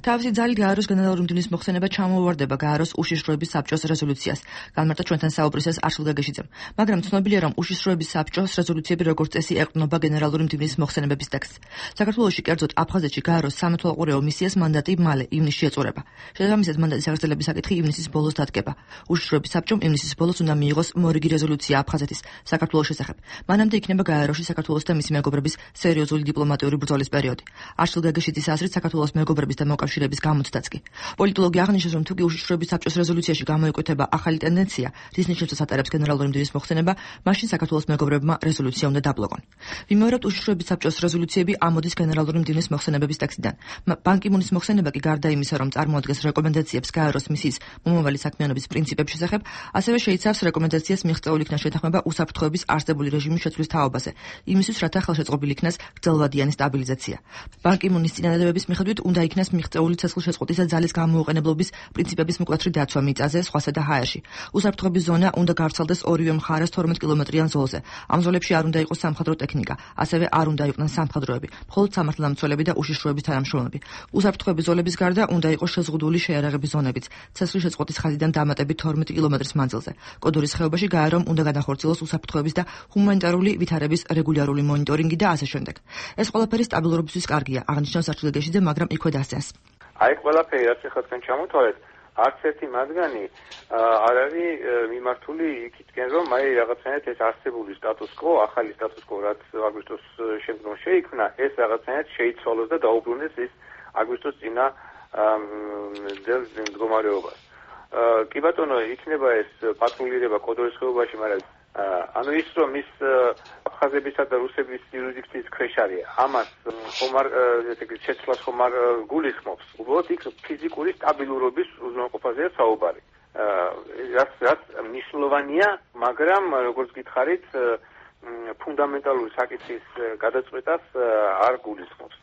N: თავისი ძალით გაეროს გენერალური მდივნის მოხსენება ჩამოუვარდება გაეროს უშიშროების საბჭოს რეზოლუციას. განმარტა ჩვენთან საუბრისას არჩილ გეგეშიძემ. მაგრამ ცნობილია, რომ უშიშროების საბჭოს რეზოლუციები როგორც წესი ეყრდნობა გენერალური მდივნის მოხსენებების ტექსტს. საქართველოში, კერძოდ აფხაზეთში გაეროს სამეთვალყურეო მისიას მანდატი მალე ივნისში ეწურება. შესაბამისად, მანდატის აღრძელების საკითხი ივნისის ბოლოს დადგება. უშიშროების საბჭომ ივნისის ბოლოს უნდა მიიღოს მორიგი რეზოლუცია აფხაზეთის საქართველოს შესახებ. მანამდე იქნება გაეროში საქართველოს და მისი მეგობრების სერიოზული დიპლომატიური ბრძოლის პერიოდი. არჩილ გეგეშიძის აზრით, საქართველოს მეგობრების და მოკავშირეების გამოცდაც კი. პოლიტოლოგი აღნიშნავს, რომ თუკი უშიშროების საბჭოს რეზოლუციაში გამოიკვეთა ახალი ტენდენცია, რის ნიშნებს ატარებს გენერალური მდივნის მოხსენება, მაშინ საქართველოს მეგობრებმა რეზოლუცია უნდა დაბლოკონ. ვიმეორებთ უშიშროების საბჭოს რეზოლუციები ამოდის გენერალური მდივნის მოხსენებების ტექსტიდან. ბან კი მუნის მოხსენება კი გარდა იმისა, რომ წარმოადგენს რეკომენდაციებს გაეროს მისიის მომავალი საქმიანობის პრინციპების შესახებ, ასევე შეიცავს რეკომენდაციას მიღწეული იქნა შეთანხმება უსაფრთხოების არსებული რეჟიმის შეცვლის თაობაზე, იმისთვის, რათა ხელშეწყობილი იქნას გრძელვადიანი სტაბილიზაცია. ბან კი მუნის წინადადებების მიხედვით უნდა იქნას მიღწეული ცეცხლშეწყვეტისა ძალის გამოუყენებლობის პრინციპების მკვეთრი დაცვა მიწაზე, სხვასა და ჰაერში. უსაფრთხოების ზონა უნდა გავრცელდეს ორივე მხარეს 12 კილომეტრიან ზოლზე. ამ ზოლებში არ უნდა იყოს სამხედრო ტექნიკა, ასევე არ უნდა იყვნენ სამხედროები, მხოლოდ სამართალდამცველები და უშიშროების თანამშრომლები. უსაფრთხოების ზოლების გარდა უნდა იყოს შეზღუდული შეიარაღების ზონებიც, ცეცხლშეწყვეტის ხაზიდან დამატებით 12 კილომეტრის მანძილზე. კოდორის ხეობაში გაერომ უნდა განახორციელოს უსაფრთხოების და ჰუმანიტარული ვითარების რეგულარული მონიტორინგი და ასე შემდეგ. ეს ყველაფერი სტაბილურობისთვის კარგია, აღნიშნავს არჩილეგეშიძე, მაგრამ იქვე დასცენს.
O: აი ყველაფერი რაც ახლა თქვენ ჩამოთვალეთ, არც ერთი მათგანი არ არის მიმართული იქითკენ, რომ აი რაღაცნაირად ეს არსებული სტატუს-კვო, ახალი სტატუს-კვო, რაც აგვისტოს შემდგომ შეიქმნა, ეს რაღაცნაირად შეიცვალოს და დაუბრუნდეს ის აგვისტოს წინა მდგომარეობას. კი ბატონო, იქნება ეს პატრულირება კოდორის ხეობაში, მაგრამ ანუ ის რომ ის აფხაზებისა და რუსების იურისდიქციის ქვეშ არის, ამას ხომ არ ესე იგი შეცვლას ხომ არ გულისხმობს. უბრალოდ იქ ფიზიკური სტაბილურობის უზრუნველყოფაზეა საუბარი. რაც მნიშვნელოვანია, მაგრამ როგორც გითხარით, ფუნდამენტალური საკითხის გადაწყვეტას არ გულისხმობს.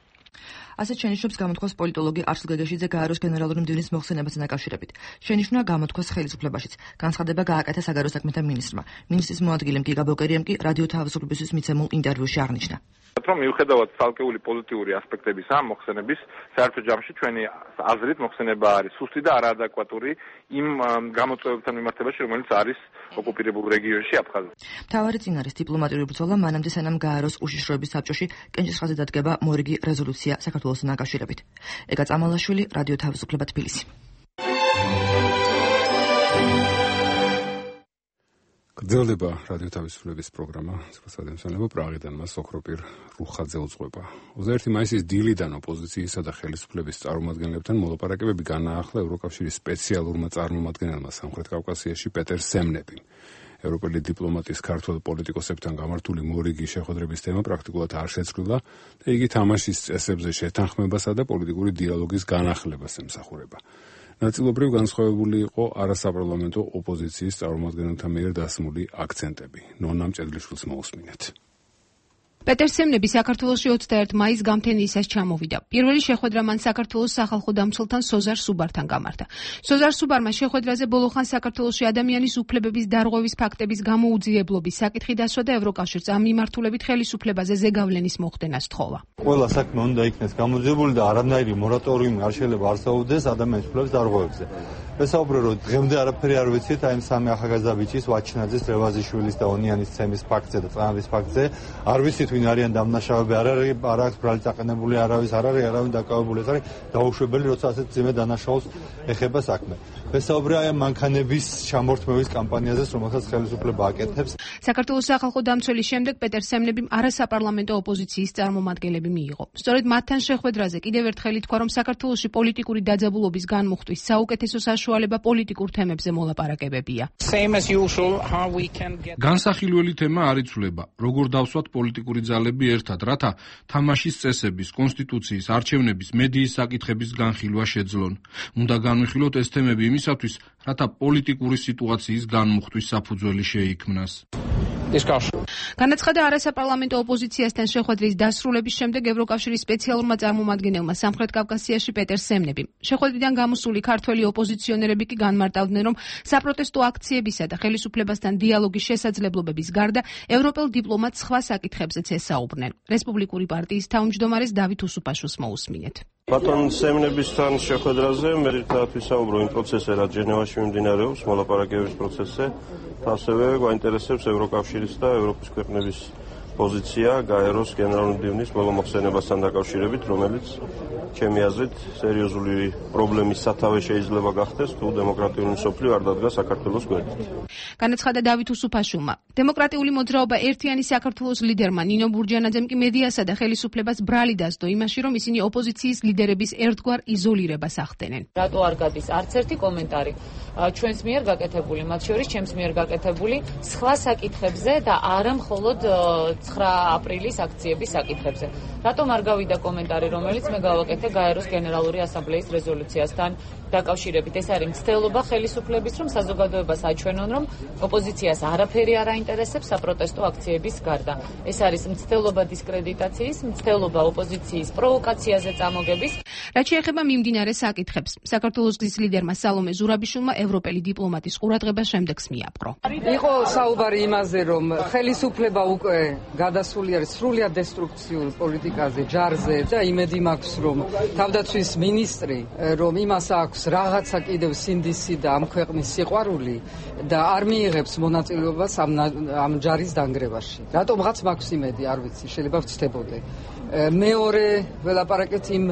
N: ასეთ შენიშვნებს გამოთქვას პოლიტოლოგი არსილ გეგეშიძე გაეროს გენერალური მდივნის მოხსენებასთან დაკავშირებით. შენიშვნა გამოთქვას ხელისუფლებაშიც. განცხადება გააკეთა საგარეო საქმეთა მინისტრმა. მინისტრის მოადგილემ გიგა ბოკერიამ კი რადიო თავისუფლებისთვის მიცემულ ინტერვიუში აღნიშნა.
I: რომ მიუხედავად ცალკეული პოზიტიური ასპექტების ამ მოხსენების, საერთო ჯამში ჩვენი აზრით მოხსენება არის სუსტი და არაადეკვატური იმ გამოწვევებთან მიმართებაში, რომელიც არის ოკუპირებულ რეგიონში აფხაზეთში.
N: მთავარი წინარის დიპლომატიური ბრძოლა მანამდე სანამ გაეროს უშიშროების საბჭოში კენჭისყრაზე დადგება მორიგი რეზოლუცია საქართველოსთან დაკავშირებით. ეგა წამალაშვილი, რადიო თავისუფლება თბილისი.
A: გრძელდება რადიო თავისუფლების პროგრამა სპეციალიზაცია პრაღიდან მას ოქროპირ რუხაძე უძღვება. 21 მაისის დილიდან ოპოზიციისა და ხელისუფლების წარმომადგენლებთან მოლაპარაკებები განაახლა ევროკავშირის სპეციალურმა წარმომადგენელმა სამხრეთ კავკასიაში პეტერ სემნებიმ. ევროპელი დიპლომატის ქართველ პოლიტიკოსებთან გამართული მორიგი შეხვედრების თემა პრაქტიკულად არ შეცვლილა და იგი თამაშის წესებზე შეთანხმებასა და პოლიტიკური დიალოგის განახლებას ემსახურება. ნაწილობრივ განსხვავებული იყო არასაპარლამენტო ოპოზიციის წარმომადგენელთა მიერ დასმული აქცენტები. ნონა მჭედლიშვილს მოусმინეთ.
P: პეტერ სემნები საქართველოში 21 მაისს გამთენიისას ჩამოვიდა. პირველი შეხვედრა მან საქართველოს სახალხო დამცველთან სოზარ სუბართან გამართა. სოზარ სუბარმა შეხვედრაზე ბოლოხან საქართველოში ადამიანის უფლებების დარღვევის ფაქტების გამოუძიებლობის საკითხი დასვა და ევროკავშირს ამ მიმართულებით ხელისუფლებაზე ზეგავლენის მოხდენას თხოვა.
Q: ყველა საქმე უნდა იქნეს გამოძიებული და არანაირი მორატორიუმი არ შეიძლება არსებობდეს ადამიანის უფლებების დარღვევებზე. ვესაუბრე რომ დღემდე არაფერი არ ვიცით აი სამი ახალგაზრდა ბიჭის ვაჩნაძის, რევაზიშვილის და ონიანის ცემის ფაქტზე და წამების ფაქტზე. არ ვიცით ვინ არიან დამნაშავეები, არ აქვს ბრალი წაყენებული არავის, არ არის არავინ დაკავებული, ეს არის დაუშვებელი, როცა ასეთ ძიმე დანაშაულს ეხება საქმე. ვესაუბრე აი მანქანების ჩამორთმევის კამპანიაზეც, რომელსაც ხელისუფლება აკეთებს.
P: საქართველოს სახალხო დამცველის შემდეგ პეტერ სემნებიმ არასაპარლამენტო ოპოზიციის წარმომადგენლები მიიღო. სწორედ მათთან შეხვედრაზე კიდევ ერთხელ ითქვა, რომ საქართველოში პოლიტიკური დაძაბულობის განმუხტვის საუკეთესო საშუალება პოლიტიკურ თემებზე მოლაპარაკებებია.
R: განსახილველი თემა არ იცვლება, როგორ დავსვათ პოლიტიკური ძალები ერთად, რათა თამაშის წესების, კონსტიტუციის, არჩევნების, მედიის საკითხების განხილვა შეძლონ. უნდა განვიხილოთ ეს თემები იმისათვის, რათა პოლიტიკური სიტუაციის განმუხტვის საფუძველი შეიქმნას.
P: განაცხადა არასაპარლამენტო ოპოზიციასთან შეხვედრის დასრულების შემდეგ ევროკავშირის სპეციალურმა წარმომადგენელმა სამხრეთ კავკასიაში პეტერ სემნებიმ. შეხვედრიდან გამოსული ქართველი ოპოზიციონერები კი განმარტავდნენ, რომ საპროტესტო აქციებისა და ხელისუფლებასთან დიალოგის შესაძლებლობების გარდა ევროპელ დიპლომატს სხვა საკითხებზეც ესაუბრნენ. რესპუბლიკური პარტიის თავმჯდომარეს დავით უსუფაშვილს მოусმინეთ.
S: ბატონ სემნებისთან შეხვედრაზე მე ერთად ვისაუბრო იმ პროცესზე, რაც ჟენევაში მიმდინარეობს, მოლაპარაკებების პროცესზე. ასევე გვაინტერესებს ევროკავშირის და ევროპის ქვეყნების პოზიცია გაეროს გენერალური მდივნის ბოლო მოხსენებასთან დაკავშირებით, რომელიც ჩემი აზრით სერიოზული პრობლემის სათავე შეიძლება გახდეს, თუ დემოკრატიული მსოფლიო არ დადგა საქართველოს გვერდით.
P: განაცხადა დავით უსუფაშვილმა. დემოკრატიული მოძრაობა ერთიანი საქართველოს ლიდერმა ნინო ბურჯანაძემ კი მედიასა და ხელისუფლებას ბრალი დასდო იმაში, რომ ისინი ოპოზიციის ლიდერების ერთგვარ იზოლირებას ახდენენ.
T: რატო არ გადის არც ერთი კომენტარი ჩვენს მიერ გაკეთებული, მათ შორის ჩემს მიერ გაკეთებული სხვა საკითხებზე და არა მხოლოდ 9 აპრილის აქციების საკითხებზე. რატომ არ გავიდა კომენტარი, რომელიც მე გავაკეთე გაეროს გენერალური ასამბლეის რეზოლუციასთან დაკავშირებით? ეს არის მცდელობა ხელისუფლების, რომ საზოგადოებას აჩვენონ, რომ ოპოზიციას არაფერი არ აინტერესებს საპროტესტო აქციების გარდა. ეს არის მცდელობა დისკრედიტაციის, მცდელობა ოპოზიციის პროვოკაციაზე წამოგების.
P: რაც შეეხება მიმდინარე საკითხებს, საქართველოს გზის ლიდერმა სალომე ზურაბიშვილმა ევროპელი დიპლომატის ყურადღება შემდეგს მიაპყრო.
U: იყო საუბარი იმაზე, რომ ხელისუფლება უკვე გადასული არის სრულიად დესტრუქციულ პოლიტიკაზე, ჯარზე და იმედი მაქვს, რომ თავდაცვის მინისტრი, რომ იმას აქვს რაღაცა კიდევ სინდისი და ამ ქვეყნის სიყვარული და არ მიიღებს მონაწილეობას ამ ჯარის დანგრევაში. რატომღაც მაქვს იმედი, არ ვიცი, შეიძლება ვცდებოდე. მეორე ველაპარაკეთ იმ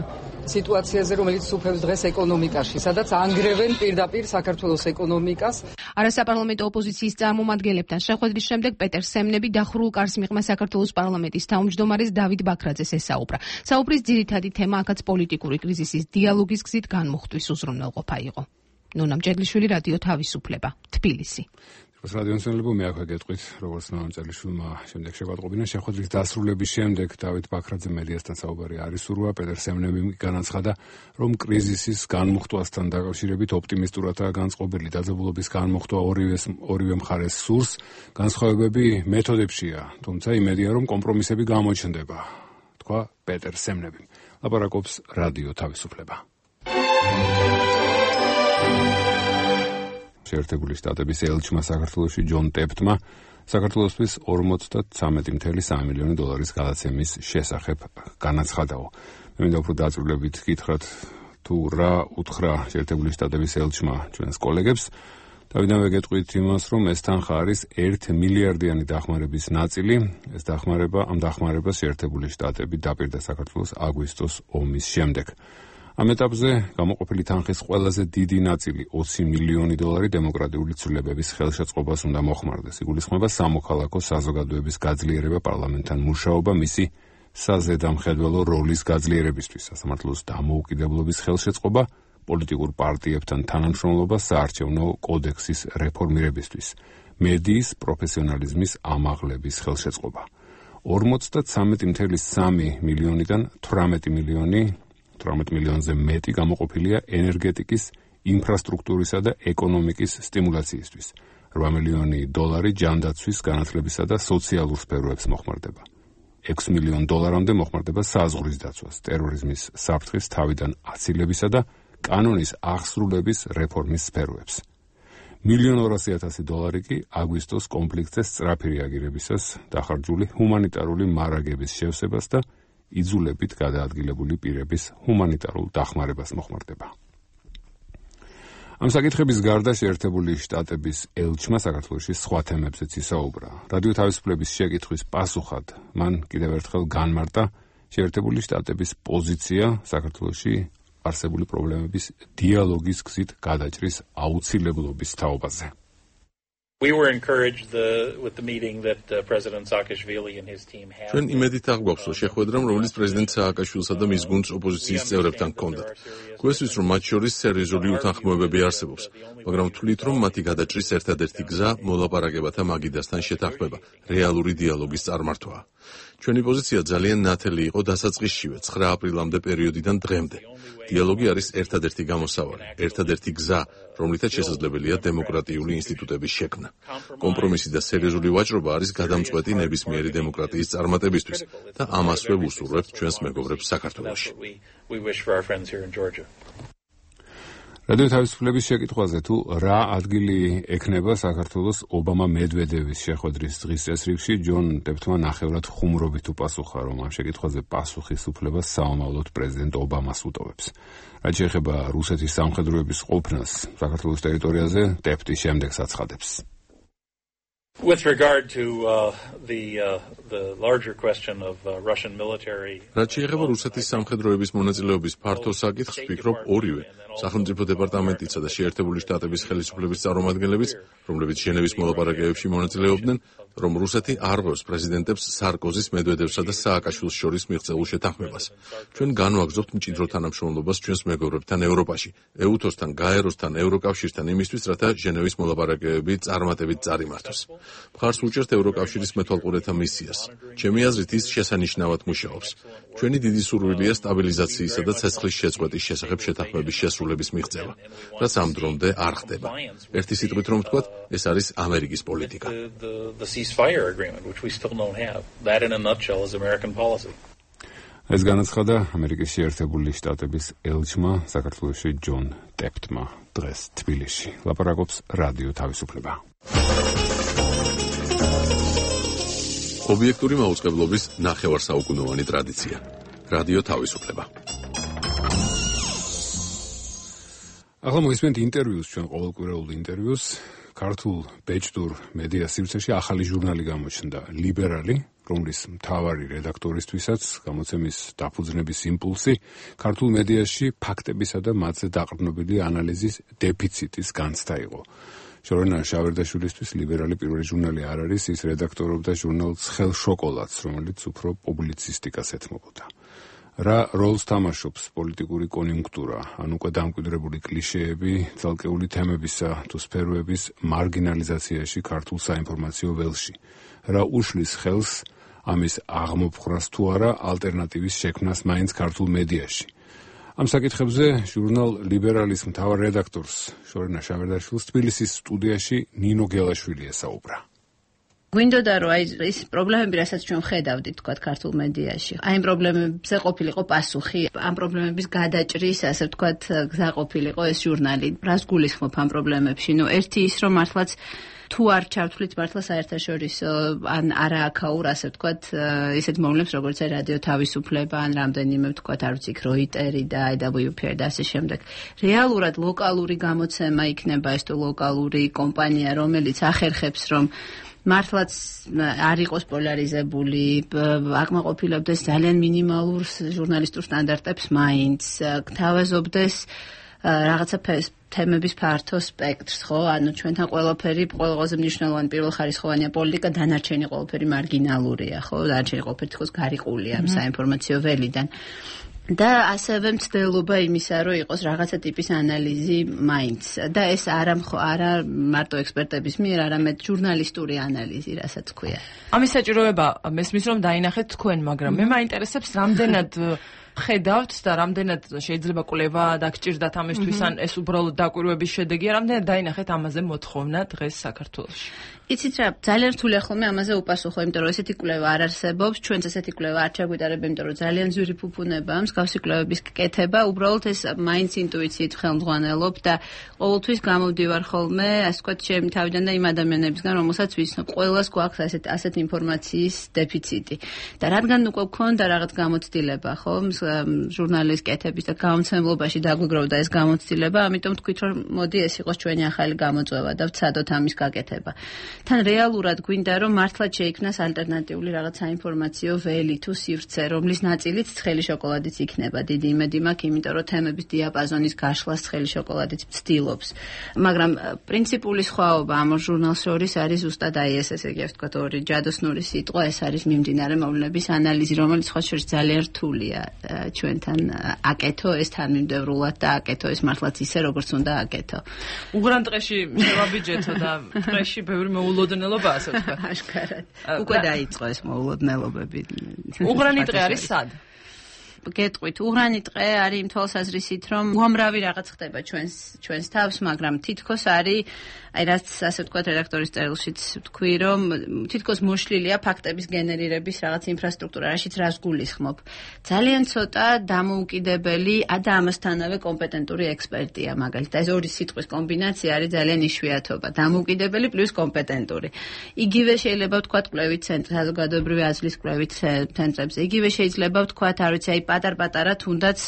U: სიტუაციაზე, რომელიც უფევს დღეს ეკონომიკაში, სადაც ანგრევენ პირდაპირ საქართველოს ეკონომიკას.
P: არასაპარლამენტო ოპოზიციის წარმომადგენლებთან შეხვედრის შემდეგ პეტერ სემნები დახურულ კარს მიღმა საქართველოს პარლამენტის თავმჯდომარეს დავით ბაქრაძეს ესაუბრა. საუბრის ძირითადი თემა აქაც პოლიტიკური კრიზისის დიალოგის გზით განმუხტვის უზრუნველყოფა იყო. ნონა მჭედლიშვილი, რადიო თავისუფლება, თბილისი.
A: რადიონსენლებო მე აქვე გეტყვით, როგორც ნონა მჭედლიშვილმა შემდეგ შეგვატყობინა შეხვედრის დასრულების შემდეგ დავით ბაქრაძე მედიასთან საუბარი არ ისურვა. პეტერ სემნებიმ განაცხადა, რომ კრიზისის განმუხტვასთან დაკავშირებით ოპტიმისტურადაა განწყობილი. დაძაბულობის განმუხტვა ორივე მხარეს სურს, განსხვავებები მეთოდებშია, თუმცა იმედია, რომ კომპრომისები გამოჩნდება, თქვა პეტერ სემნებიმ. ლაპარაკობს რადიო თავისუფლება. შეერთებული შტატების ელჩმა საქართველოში ჯონ ტეპტმა საქართველოსთვის 53.3 მილიონი დოლარის გადაცემის შესახებ განაცხადა. მე მინდა უფრო დაწვრილებით გითხრათ, თუ რა უთხრა შეერთებული შტატების ელჩმა ჩვენს კოლეგებს. დავიდანვე გეტყვით იმას, რომ ეს თანხა არის 1 მილიარდიანი დახმარების ნაწილი. ეს ამ დახმარებას შეერთებული შტატები დაპირდა საქართველოს აგვისტოს ომის შემდეგ. ამ ეტაპზე გამოყოფილი თანხის ყველაზე დიდი ნაწილი 20 მილიონი დოლარი დემოკრატიული ცვლილებების ხელშეწყობას უნდა მოხმარდეს. იგულისხმება სამოქალაქო საზოგადოების გაძლიერება, პარლამენტთან მუშაობა, მისი საზედამხედველო როლის გაძლიერებისთვის, სასამართლოს დამოუკიდებლობის ხელშეწყობა, პოლიტიკურ პარტიებთან თანამშრომლობა, საარჩევნო კოდექსის რეფორმირებისთვის, მედიის პროფესიონალიზმის ამაღლების ხელშეწყობა. 53.3 მილიონიდან 18 მილიონზე მეტი გამოყოფილია ენერგეტიკის, ინფრასტრუქტურისა და ეკონომიკის სტიმულაციისთვის. 8 მილიონი დოლარი ჯანდაცვის, განათლებისა და სოციალურ სფეროებს მოხმარდება. 6 მილიონ დოლარამდე მოხმარდება საზღვრის დაცვას, ტერორიზმის საფრთხის თავიდან აცილებისა და კანონის აღსრულების რეფორმის სფეროებს. 1,200,000 დოლარი კი აგვისტოს კონფლიქტზე სწრაფი რეაგირებისას დახარჯული ჰუმანიტარული მარაგების შევსებას და იძულებით გადაადგილებული პირების ჰუმანიტარულ დახმარებას მოხმარდება. ამ საკითხების გარდა შეერთებული შტატების ელჩმა საქართველოში სხვა თემებზეც ისაუბრა. რადიო თავისუფლების შეკითხვის პასუხად მან კიდევ ერთხელ განმარტა შეერთებული შტატების პოზიცია საქართველოში არსებული პრობლემების დიალოგის გზით გადაჭრის აუცილებლობის თაობაზე.
V: We were encouraged with the meeting that President Saakashvili and his team had.
J: ჩვენ იმედით აღვაქვს, რომ შეხვედრამ, რომელიც პრეზიდენტ სააკაშვილსა და მის გუნდს ოპოზიციის წევრებთან ჰქონდათ. გვესვის, რომ მათ შორის სერიოზული უთანხმოებები არსებობს, მაგრამ ვთვლით, რომ მათი გადაჭრის ერთადერთი გზა მოლაპარაკებათა მაგიდასთან შეთანხმება, რეალური დიალოგის წარმართვაა. ჩვენი პოზიცია ძალიან ნათელი იყო დასაწყისშივე 9 აპრილამდე პერიოდიდან დღემდე. დიალოგი არის ერთადერთი გამოსავალი, ერთადერთი გზა, რომლითაც შესაძლებელია დემოკრატიული ინსტიტუტების შექმნა. კომპრომისი და სერიოზული ვაჭრობა არის გადამწყვეტი ნებისმიერი დემოკრატიის წარმატებისთვის და ამასვე ვუსურვებთ ჩვენს მეგობრებს საქართველოში. რადიო თავისუფლების შეკითხვაზე, თუ რა ადგილი ექნება საქართველოს ობამა-მედვედევის შეხვედრის დღის წესრიგში, ჯონ ტეპტმა ნახევრად ხუმრობით უპასუხა, რომ ამ შეკითხვაზე პასუხის უფლებას საომავლოდ პრეზიდენტ ობამას უტოვებს. რაც შეეხება რუსეთის სამხედროების ყოფნას საქართველოს ტერიტორიაზე, ტეპტი შემდეგს აცხადებს.
V: With regard to the larger question of Russian military.
J: რაც შეეხება რუსეთის სამხედროების მონაწილეობის ფართო საკითხს, ვფიქრობ, ორივე სახელმწიფო დეპარტამენტისა და შეერთებული შტატების ხელისუფლების წარმომადგენლებიც, რომლებიც ჟენევის მოლაპარაკებებში მონაწილეობდნენ, რომ რუსეთი არ ღვევს პრეზიდენტებს სარკოზის, მედვედევსა და სააკაშვილის შორის მიღწეულ შეთანხმებას. ჩვენ განვაგრძობთ მჭიდრო თანამშრომლობას ჩვენს მეგობრებთან ევროპაში, ეუთოსთან, გაეროსთან, ევროკავშირთან იმისთვის, რათა ჟენევის მოლაპარაკებები წარმატებით წარიმართოს. მხარს უჭერთ ევროკავშირის მეთვალყურეთა მისიას. ჩემი აზრით ის შესანიშნავად მუშაობს. ჩვენი დიდი სურვილია სტაბილიზაციისა და ცეცხლის შეწყვეტის შესახებ შეთანხმების შესრულების მიღწევა, რაც ამ დრომდე არ ხდება. ერთი სიტყვით რომ ვთქვათ, ეს არის ამერიკის პოლიტიკა.
A: ეს განაცხადა ამერიკის შეერთებული შტატების ელჩმა საქართველოში ჯონ ტეპტმა დღეს თბილისში. ლაპარაკობს რადიო თავისუფლება.
J: ობიექტური მაუწყებლობის ნახევარსაუკუნოვანი ტრადიცია. რადიო თავისუფლება.
A: ახლა მოისმენთ ინტერვიუს, ჩვენ ყოველკვირეულ ინტერვიუს. ქართულ ბეჭდურ მედია სივრცეში ახალი ჟურნალი გამოჩნდა, ლიბერალი, რომლის მთავარი რედაქტორისთვისაც გამოცემის დაფუძნების იმპულსი ქართულ მედიაში ფაქტებისა და მათზე დაყრდნობილი ანალიზის დეფიციტის განცდა იყო. შორენა შავერდაშვილისთვის ლიბერალი პირველი ჟურნალი არ არის, ის რედაქტორობდა ჟურნალ ცხელ შოკოლადს, რომელიც უფრო პუბლიცისტიკას ეთმობოდა. რა როლს თამაშობს პოლიტიკური კონიუნქტურა, ან უკვე დამკვიდრებული კლიშეები, ცალკეული თემებისა თუ სფეროების მარგინალიზაციაში ქართულ საინფორმაციო ველში? რა უშლის ხელს ამის აღმოფხვრას თუ არა ალტერნატივის შექმნას მაინც ქართულ მედიაში? ამ საკითხებზე ჟურნალ ლიბერალის მთავარ რედაქტორს შორენა შავერდაშვილს თბილისის სტუდიაში ნინო გელაშვილი ესაუბრა.
B: გვინდოდა რომ ის პრობლემები, რასაც ჩვენ ხედავდით თქვათ ქართულ მედიაში, აი ამ პრობლემებზე ყოფილიყო პასუხი, ამ პრობლემების გადაჭრის, ასე ვთქვათ, გზა ყოფილიყო ეს ჟურნალი. რას გულისხმობ ამ პრობლემებში? ნუ ერთი ის რომ მართლაც თუ არ ჩავთვლით მართლა საერთაშორისო ან არააქაურ, ასე ვთქვათ, ისეთ მოვლენებს, როგორც აი რადიო თავისუფლება, ან რამდენიმე ვთქვათ, არ ვიცი, როიტერი და IWPR და ასე შემდეგ. რეალურად ლოკალური გამოცემა იქნება ეს თუ ლოკალური კომპანია, რომელიც ახერხებს, რომ მართლაც არ იყოს პოლარიზებული, აკმაყოფილებდეს ძალიან მინიმალურ ჟურნალისტურ სტანდარტებს მაინც, გთავაზობდეს რაღაცა თემების ფართო სპექტრს, ხო? ანუ ჩვენთან ყველაზე მნიშვნელოვანი პირველხარისხოვანია პოლიტიკა, დანარჩენი ყველაფერი მარგინალურია, ხო? დანარჩენი ყველაფერი თქოს გარიყულია ამ საინფორმაციო ველიდან. და ასევე მცდელობა იმისა, რომ იყოს რაღაცა ტიპის ანალიზი მაინც. და ეს არა მარტო ექსპერტების მიერ, არამედ ჟურნალისტური ანალიზი, რასაც ქვია.
L: ამის საჭიროება მესმის რომ დაინახეთ თქვენ, მაგრამ მე მაინტერესებს რამდენად ხედავთ და რამდენად შეიძლება კვლევა დაგჭირდათ ამისთვის, ან ეს უბრალოდ დაკვირვების შედეგია, რამდენად დაინახეთ ამაზე მოთხოვნა დღეს საქართველოში?
B: იცით რა, ძალიან რთულია ხოლმე ამაზე უპასუხო, იმიტომ რომ ესეთი კვლევა არ არსებობს, ჩვენც ესეთი კვლევა არ ჩაგვიტარებ, იმიტომ რომ ძალიან ძვირი ფუფუნებაა მსგავსი კვლევების კეთება, უბრალოდ ეს მაინც ინტუიციით ხელმძღვანელობ და ყოველთვის გამოვდივარ ხოლმე, ასე ვთქვათ, ჩემი თავიდან და იმ ადამიანებისგან, რომელსაც ვიცნობ, ყველას გვაქვს ასეთ ინფორმაციის დეფიციტი. და რადგან უკვე გვქონდა რაღაც გამოცდილება, ხო, ჟურნალის კეთების და გამომცემლობაში დაგვიგროვდა ეს გამოცდილება, ამიტომ თქვით, რომ მოდი ეს იყოს ჩვენი ახალი გამოწვევა და ვცადოთ ამის გაკეთება. თან რეალურად გვინდა რომ მართლაც შეიქმნას ალტერნატიული რაღაც საინფორმაციო ველი თუ სივრცე, რომლის ნაწილიც ცხელი შოკოლადიც იქნება. დიდი იმედი მაქვს, იმიტომ რომ თემების დიაპაზონის გაშლას ცხელი შოკოლადიც ცდილობს. მაგრამ პრინციპული სხვაობა ამ ჟურნალს შორის არის ზუსტად აი ეს, ესე იგი, ვთქვათ, ორი ჯადოსნური სიტყვა, ეს არის მიმდინარე მოვლენების ანალიზი, რომელიც სხვა შორის ძალიან რთულია ჩვენთან აკეთო ეს თანმიმდევრულად და აკეთო ეს მართლაც ისე, როგორც უნდა აკეთო.
L: უღრან ტყეში შევაბიჯეთო და ტყეში ბევრი მოულოდნელობა, ასე ვთქვათ.
B: აშკარად. უკვე დაიწყო ეს მოულოდნელობები.
L: უღრანი ტყე არის სად?
B: გეტყვით, უღრანი ტყე არის იმ თვალსაზრისით, რომ უამრავი რაღაც ხდება ჩვენს თავს, მაგრამ თითქოს არის, აი რაც ასე ვთქვათ, რედაქტორის წერილშიც ვთქვი, რომ თითქოს მოშლილია ფაქტების გენერირების რაღაც ინფრასტრუქტურა, რაშიც რას გულისხმობ. ძალიან ცოტა დამოუკიდებელი და ამასთანავე კომპეტენტური ექსპერტია, მაგალითად, ეს ორი სიტყვის კომბინაცია არის ძალიან იშვიათობა. დამოუკიდებელი პლუს კომპეტენტური. იგივე შეიძლება ვთქვათ კვლევით ცენტრ, საზოგადოებრივი აზრის კვლევით ცენტრებზე. იგივე შეიძლება ვთქვათ, არ ვიცი, აი პატარ-პატარა თუნდაც,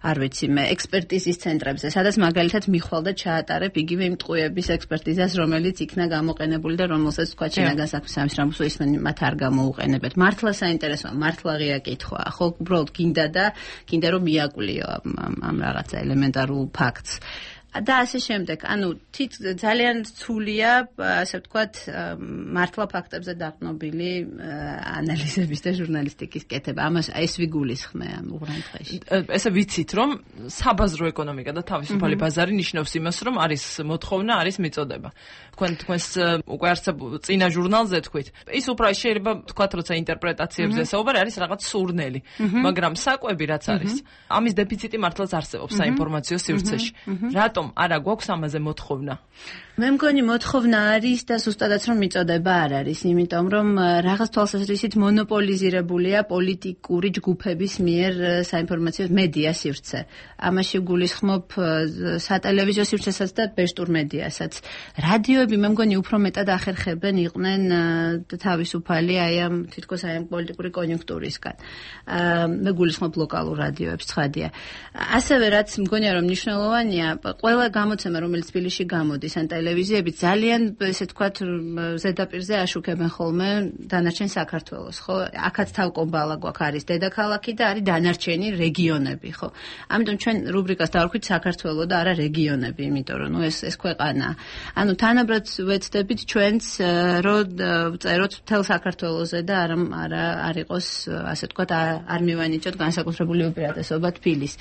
B: არ ვიცი მე, ექსპერტიზის ცენტრებზე, სადაც მაგალითად მიხვალ და ჩაატარებ იგივე იმ ტყუების ექსპერტიზის ანალიზას, რომელიც იქნა გამოყენებული და რომელსაც თქვა ჩინაგან საქმის სამინისტროს ისმენ მათ არ გამოუყენებთ. მართლა საინტერესოა, მართლა ღია კითხვა. ხო, უბრალოდ გინდა რომ მიაკვლიო ამ რაღაცა ელემენტარულ ფაქტს. და ასე შემდეგ. ანუ ძალიან რთულია, ასე ვთქვათ, მართლა ფაქტებზე დაყრდნობილი ანალიზების და ჟურნალისტიკის კეთება. ამას ეს ვიგულისხმე ამ უღრან დღეში.
E: ესე ვიცით, რომ საბაზრო ეკონომიკა და თავისუფალი ბაზარი ნიშნავს იმას, რომ არის მოთხოვნა, არის მიწოდება. თქვენს უკვე არსებულ წინა ჟურნალზე თქვით. ის უფრო შეიძლება თქვათ, როცა ინტერპრეტაციებზე საუბარი არის რაღაც სურნელი, მაგრამ საკვები რაც არის, ამის დეფიციტი მართლაც არსებობს საინფორმაციო სივრცეში. რატომ არა გვაქვს ამაზე მოთხოვნა?
B: მე მგონი მოთხოვნა არის და ზუსტადაც რომ მიწოდება არ არის, იმიტომ რომ რაღაც თვალსაზრისით მონოპოლიზირებულია პოლიტიკური ჯგუფების მიერ საინფორმაციო მედია სივრცე. ამაში გულისხმობ სატელევიზიო სივრცესაც და ბეშტურ მედიასაც. რადიოები მე მგონი უფრო მეტად ახერხებენ იყვნენ თავისუფალი ამ თითქოს ამ პოლიტიკური კონიუნქტურისგან. მე გულისხმობ ლოკალურ რადიოებს, ცხადია. ასევე რაც მგონია რომ მნიშვნელოვანია, ყველა გამოცემა რომელიც თბილისში გამოდის ან ტელევიზიები ძალიან ესე თქვათ ზედაპირზე აშუქებენ ხოლმე დანარჩენ საქართველოს, ხო? აქაც თავკომბალა გვაქვს, არის დედაქალაქი და არის დანარჩენი რეგიონები, ხო? ამიტომ ჩვენ რუბრიკას დავარქვით საქართველო და არა რეგიონები, იმიტომ რომ ეს ქვეყანა. ანუ თანაბრად ვეცდებით ჩვენც რომ წეროთ მთელ საქართველოზე და არ იყოს ასე თქვათ არ მივანიჭოთ განსაკუთრებული უპირატესობა თბილის.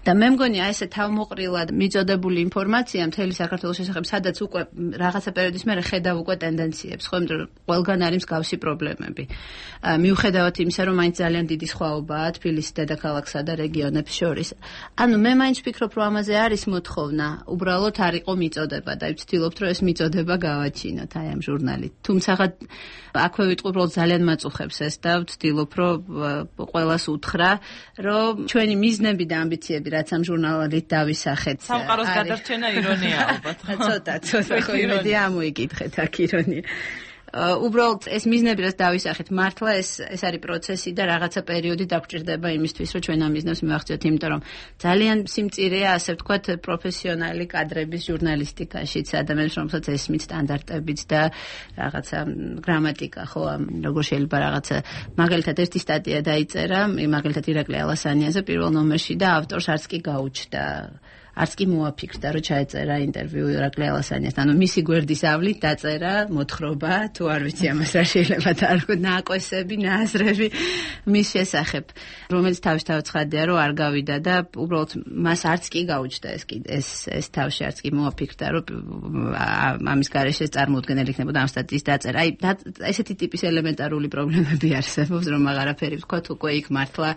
B: და მე მგონი აი ესე თავმოყრილად მიწოდებული ინფორმაცია მთელი საქართველოს შესახებ, სადაც უკვე რაღაცა პერიოდის მერე ხედავ უკვე ტენდენციებს, ხო, იმიტომ რომ ყველგან არის მსგავსი პრობლემები. მიუხედავად იმისა, რომ მაინც ძალიან დიდი სხვაობაა თბილისის დედაქალაქსა და რეგიონებს შორის. ანუ მე მაინც ვფიქრობ, რომ ამაზე არის მოთხოვნა, უბრალოდ არ იყო მიწოდება და ვცდილობთ, რომ ეს მიწოდება გავაჩინოთ აი ამ ჟურნალით. თუმცა აქვე ვიტყვი, უბრალოდ ძალიან მაწუხებს ეს და ვცდილობ, რომ ყველას უთხრა, რომ ჩვენი მიზნები და ამბიციები რაც ამ ჟურნალით დავისახეთ.
E: სამყაროს გადარჩენა ირონია ალბათ.
B: ცოტა ხო იმედი ამოიკითხეთ აქ ირონია. უბრალოდ ეს მიზნები რაც დავისახეთ, მართლა ეს არის პროცესი და რაღაცა პერიოდი დაგჭირდება იმისთვის, რომ ჩვენ ამ მიზნებს მივახციოთ, იმიტომ რომ ძალიან სიმწირეა, ასე ვთქვათ, პროფესიონალი კადრების ჟურნალისტიკაშიც, ადამიანებს, რომელსაც ესმით სტანდარტებიც და რაღაცა გრამატიკა, ხო, როგორ შეიძლება რაღაცა, მაგალითად ერთი სტატია დაიწერა, მაგალითად ირაკლი ალასანიაზე პირველ ნომერში და ავტორს არც კი გაუჩნდა. არც კი მოაფიქრდა, რომ ჩაეწერა ინტერვიუ ირაკლი ალასანიასთან. ანუ მისი გვერდის ავლით დაწერა მოთხრობა, თუ არ ვიცი ამას რა შეიძლება დაარქვათ, ნაკვესები, ნაზრები მის შესახებ, რომელიც თავისთავად ცხადია, რომ არ გავიდა და უბრალოდ მას არც კი გაუჩნდა ეს თავში არც კი მოაფიქრდა, რომ ამის გარეშე წარმოუდგენელი იქნებოდა ამ სტატიის დაწერა. აი, ესეთი ტიპის ელემენტარული პრობლემები არსებობს, რომ აღარაფერი ვთქვათ, უკვე იქ მართლა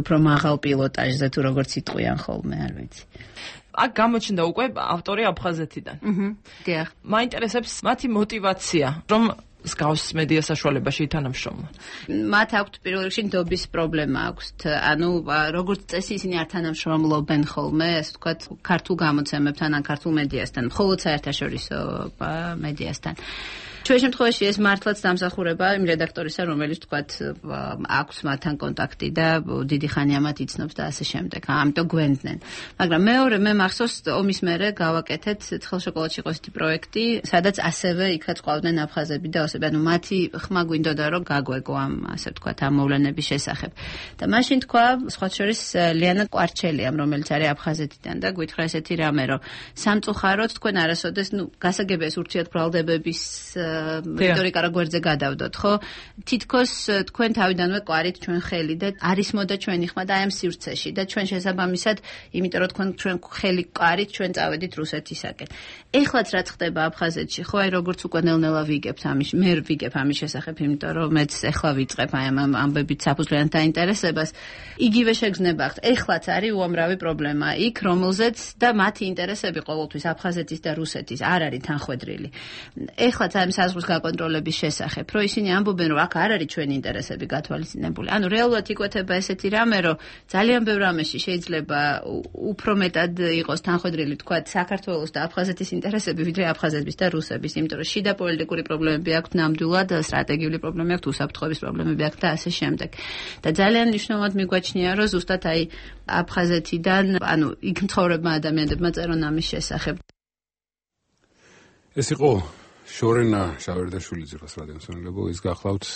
B: უფრო მაღალ პილოტაჟზე თუ როგორც იტყვიან ხოლმე, არ ვიცი.
E: აქ გამოჩნდა უკვე ავტორი აფხაზეთიდან.
B: დიახ.
E: მაინტერესებს მათი мотиваცია, რომ მსგავს მედია საშუალებაში ითანამშრომლონ.
B: მათ აქვთ პირველ რიგში ნდობის პრობლემა აქვთ. ანუ როგორც წესი ისინი არ თანამშრომლობენ ხოლმე, ასე ვთქვათ, ქართულ გამოცემებთან ან ქართულ მედიასთან, მხოლოდ საერთაშორისო მედიასთან. ჩვენ შემთხვევაში ეს მართლაც დამსახურება იმ რედაქტორისა, რომელიც თქვათ აქვს მათთან კონტაქტი და დიდი ხანია მათ იცნობს და ასე შემდეგ. ამიტომ გვენდნენ. მაგრამ მეორე მე მახსოვს ომის მერე გავაკეთეთ ცხელშოკოლადში იყო ესეთი პროექტი, სადაც ასევე იქაც ყავდნენ აფხაზები და ოსები. ანუ მათი ხმა გვინდოდა რომ გაგვეგო ამ ასე ვთქვათ ამ მოვლენების შესახებ. და მაშინ თქვა სხვა შორის ლიანა კვარჩელიამ, რომელიც არის აფხაზეთიდან და გვითხრა ესეთი რამე, რომ სამწუხაროდ თქვენ არასოდეს გასაგებია ეს ურთიერთბრალდებების რიტორიკა რა გვერდზე გადავდოთ, ხო? თითქოს თქვენ თავიდანვე ყვარით ჩვენ ხელი და არის მოდა ჩვენი ხმა და აი ამ სივრცეში და ჩვენ შესაბამისად, იმიტომ რომ თქვენ ხელი ყვარით, ჩვენ წავედით რუსეთისაკენ. ეხლაც რაც ხდება აფხაზეთში, ხო, აი როგორც უკვე ნელ-ნელა ვიგებთ ამის, მე ვიგებ ამის შესახებ, იმიტომ რომ მეც ეხლა ვიწყებ აი ამ ამბებით საფუძვლიანად დაინტერესებას. იგივე შეგრძნება აქვს. ეხლაც არის უამრავი პრობლემა იქ, რომელზეც და მათი ინტერესები ყოველთვის აფხაზეთის და რუსეთის არ არის თანხვედრილი. ეხლაც ამ საზღვრის გაკონტროლების შესახებ, რომ ისინი ამბობენ, რომ აქ არ არის ჩვენი ინტერესები გათვალისწინებული. ანუ რეალურად იკვეთება ესეთი რამე, რომ ძალიან ბევრ რამეში შეიძლება უფრო მეტად იყოს თანხვედრილი, თქვათ, საქართველოს და აფხაზეთის ინტერესები, ვიდრე აფხაზების და რუსების, იმიტომ რომ შიდა პოლიტიკური პრობლემები აქვს ნამდვილად, სტრატეგიული პრობლემები აქვს, უსაფრთხოების პრობლემები აქვს და ასე შემდეგ. და ძალიან მნიშვნელოვნად მიგვაჩნია, რომ ზუსტად აი აფხაზეთიდან, ანუ იქ მცხოვრებმა ადამიანებმა წერონ ამის შესახებ.
A: ეს იყო შორენა შავერდაშვილი ძირას რადიომსმენელებო, ის გახლავთ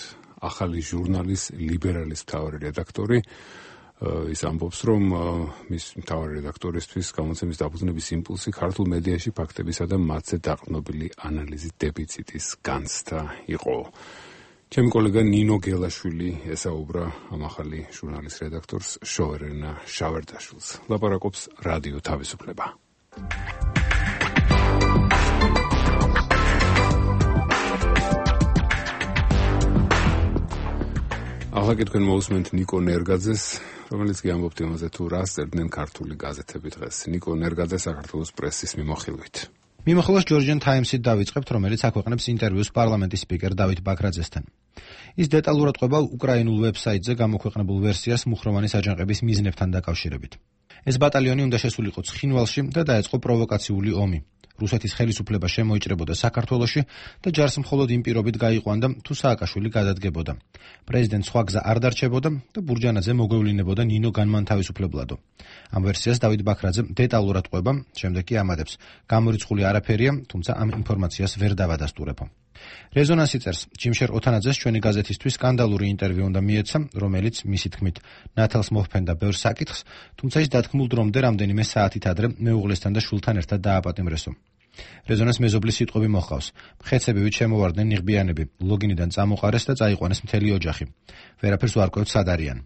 A: ახალი ჟურნალის ლიბერალის მთავარი რედაქტორი. ის ამბობს, რომ მის მთავარი რედაქტორისთვის გამოცემის დაფუძნების იმპულსი ქართულ მედიაში ფაქტებისა და მათზე დაყრდნობილი ანალიზის დეფიციტის განცდა იყო. ჩემი კოლეგა ნინო გელაშვილი ესაუბრა ამ ახალი ჟურნალის რედაქტორს შორენა შავერდაშვილს. ლაპარაკობს რადიო თავისუფლება. ახლა კი თქვენ მოусმენთ ნიკო ნერგაძეს, რომელიც კი ამბობთ იმაზე, თუ რას წერდნენ ქართული გაზეთები დღეს. ნიკო ნერგაძე საქართველოს პრესის მიმოხილვით.
C: მიმოხილვას Georgian Times-ით დავიწყებთ, რომელიც აქვეყნებს ინტერვიუს პარლამენტის სპიკერ დავით ბაქრაძესთან. ის დეტალურად ყვება უკრაინულ ვებსაიტზე გამოქვეყნებულ ვერსიას მუხროვანის აჯანყების მიზნებთან დაკავშირებით. ეს ბატალიონი უნდა შესულიყო ცხინვალში და დაეწყო პროვოკაციული ომი. რუსეთის ხელისუფლება შემოიჭრებოდა საქართველოში და ჯარს მხოლოდ იმ პირობით გაიყვანდა, თუ სააკაშვილი გადადგებოდა. პრეზიდენტს სხვა გზა არ დარჩებოდა და ბურჯანაძე მოგვევლინებოდა ნინო განმანთავისუფლებლადო. ამ ვერსიას დავით ბაქრაძე დეტალურად ყვება, შემდეგ კი ამადებს. გამორიცხული არაფერია, თუმცა ამ ინფორმაციას ვერ დავადასტურებო. რეზონანსი წერს, ჯიმშერ ოთანაძეს ჩვენი გაზეთისთვის სკანდალური ინტერვიუ უნდა მიეცა, რომელიც მისი თქმით ნათელს მოჰფენდა ბევრ საკითხს, თუმცა ის დათქმულ დრომდე რამდენიმე საათით ადრე მეუღლესთან და შვილთან ერთად დააპატიმრესო. რეზონანს მეზობლის სიტყვები მოჰყავს. მხეცებივით შემოვარდნენ ნიღბიანები, ლოგინიდან წამოყარეს და წაიყვანეს მთელი ოჯახი. ვერაფერს ვარკვევთ სად არიან.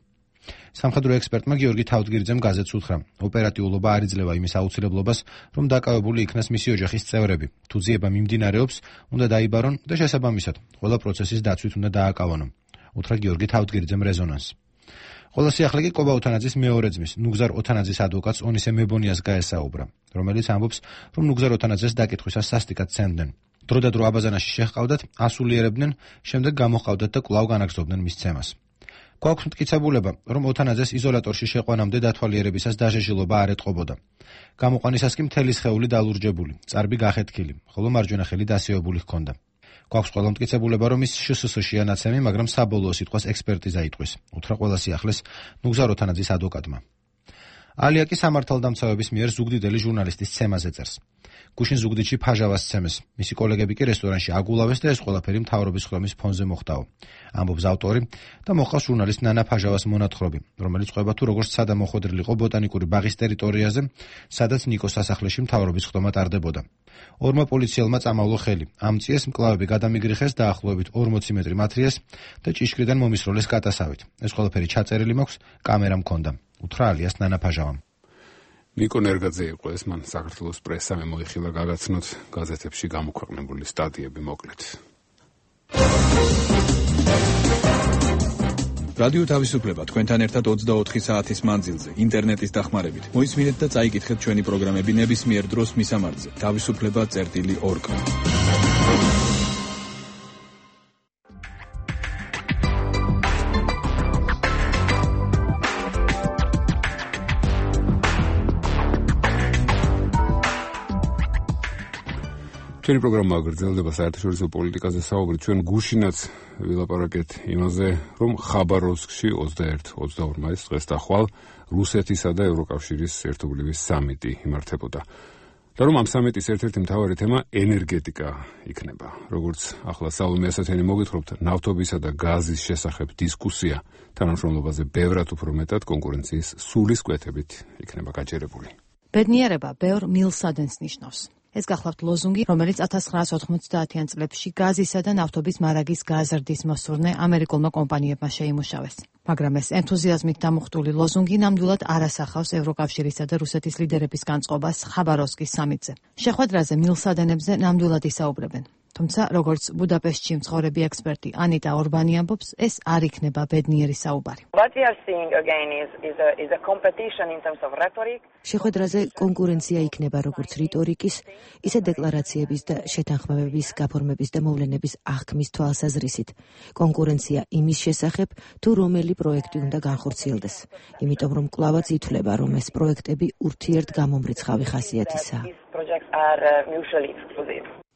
C: სამხედრო ექსპერტმა გიორგი თავდგირიძემ გაზეთს უთხრა, ოპერატიულობა არ იძლევა იმის აუცილებლობას, რომ დაკავებული იქნას მისი ოჯახის წევრები. თუ ძიება მიმდინარეობს, უნდა დაიბარონ და შესაბამისად, ყველა პროცესის დაცვით უნდა დააკავონო. უთხრა გიორგი თავდგირიძემ რეზონანსს. ყველა სიახლე კი კობა ოთანაძის მეორე ძმის, ნუგზარ ოთანაძის ადვოკატს ონისე მებონიას გაესაუბრა, რომელიც ამბობს, რომ ნუგზარ ოთანაძეს დაკითხვისას სასტიკად ცემდნენ. დრო და დრო აბაზანაში შეჰყავდათ, ასულიერებდნენ, შემდეგ გამოჰყავდათ და კვლავ განაგრძობდნენ მის ცემას. გვაქვს მტკიცებულება, რომ ოთანაძეს იზოლატორში შეყვანამდე დათვალიერებისას დაჟეჟილობა არ ეტყობოდა. გამოყვანისას კი მთელი სხეული დალურჯებული, წარბი გახეთქილი, ხოლო მარჯვენა ხელი დასეობული ჰქონდა. გვაქვს ყველა მტკიცებულება, რომ ის შსს-შია ნაცემი, მაგრამ საბოლოო სიტყვას ექსპერტიზა იტყვის, უთხრა ყველა სიახლეს ნუგზარ ოთანაძის ადვოკატმა. ალია კი სამართალდამცავების მიერ ზუგდიდელი ჟურნალისტის ცემაზე წერს. გუშინ ზუგდიდში ფაჟავას ცემეს, მისი კოლეგები კი რესტორანში აგულავეს და ეს ყველაფერი მთავრობის ხდომის ფონზე მოხდაო. ამბობს ავტორი და მოხავს ჟურნალისტ ნანა ფაჟავას მონათხრობი, რომელიც ყვება თუ როგორც სადამოხვედრილიყო ბოტანიკური ბაღის ტერიტორიაზე, სადაც ნიკოს სასახლეში მთავრობის ხდომა ტარდებოდა. ორმა პოლიციელმა წამავლო ხელი. ამ წიეს მკლავები გადამიგრიხეს დაახლოებით 40 მეტრი მათრიეს და ჭიშკრიდან მომისროლეს კატასავით. ეს ყველაფერი ჩაწერილი მაქვს, კამერა მქონდა. უთხრა ალიას ნანა ფაჟავამ. ნიკო ნერგაძე იყო ეს, მან საქართველოს პრესამ მოიხილა გაგაცნოთ გაზეთებში გამოქვეყნებული სტატიები მოკლედ.
G: რადიო თავისუფლება თქვენთან ერთად 24 საათის მანძილზე ინტერნეტის დახმარებით. მოისმინეთ და წაიკითხეთ ჩვენი პროგრამები ნებისმიერ დროს მისამართზე. თავისუფლება.org.
A: ჩვენი პროგრამა გრძელდება საერთაშორისო პოლიტიკაზე საუბრით. ჩვენ გუშინაც ვილაპარაკეთ იმაზე, რომ ხაბაროვსკში 21-22 მაისს დღეს და ხვალ რუსეთისა და ევროკავშირის ერთობლივი სამიტი იმართებოდა. და რომ ამ სამიტის ერთ-ერთი მთავარი თემა ენერგეტიკა იქნება. როგორც ახლა სალომე ასათიანი მოგითხრობთ, ნავთობისა და გაზის შესახებ დისკუსია თანამშრომლობაზე ბევრად უფრო მეტად კონკურენციის სულის კვეთებით იქნება გაჯერებული.
L: ბედნიერება ბევრ მილსადენს ნიშნავს. ეს გახლავთ ლოზუნგი, რომელიც 1990-იან წლებში გაზისა და ნავთობის მარაგის გაზრდის მოსურნე ამერიკულმა კომპანიებმა შეიმუშავეს. მაგრამ ეს ენთუზიაზმით დამუხტული ლოზუნგი ნამდვილად არ ასახავს ევროკავშირისა და რუსეთის ლიდერების განწყობას ხაბაროვსკის სამიტზე. შეხვედრაზე მილსადენებზე ნამდვილად ისაუბრებენ. თუმცა, როგორც ბუდაპეშტში მცხოვრები ექსპერტი ანიტა ორბანი ამბობს, ეს არ იქნება ბედნიერი საუბარი.
W: შეხვედრაზე კონკურენცია იქნება როგორც რიტორიკის, ისე დეკლარაციების და შეთანხმებების გაფორმების და მოვლენების აღქმის თვალსაზრისით. კონკურენცია იმის შესახებ, თუ რომელი პროექტი უნდა განხორციელდეს. იმიტომ რომ კვლავაც ითვლება, რომ ეს პროექტები ურთიერთგამომრიცხავი ხასიათისაა.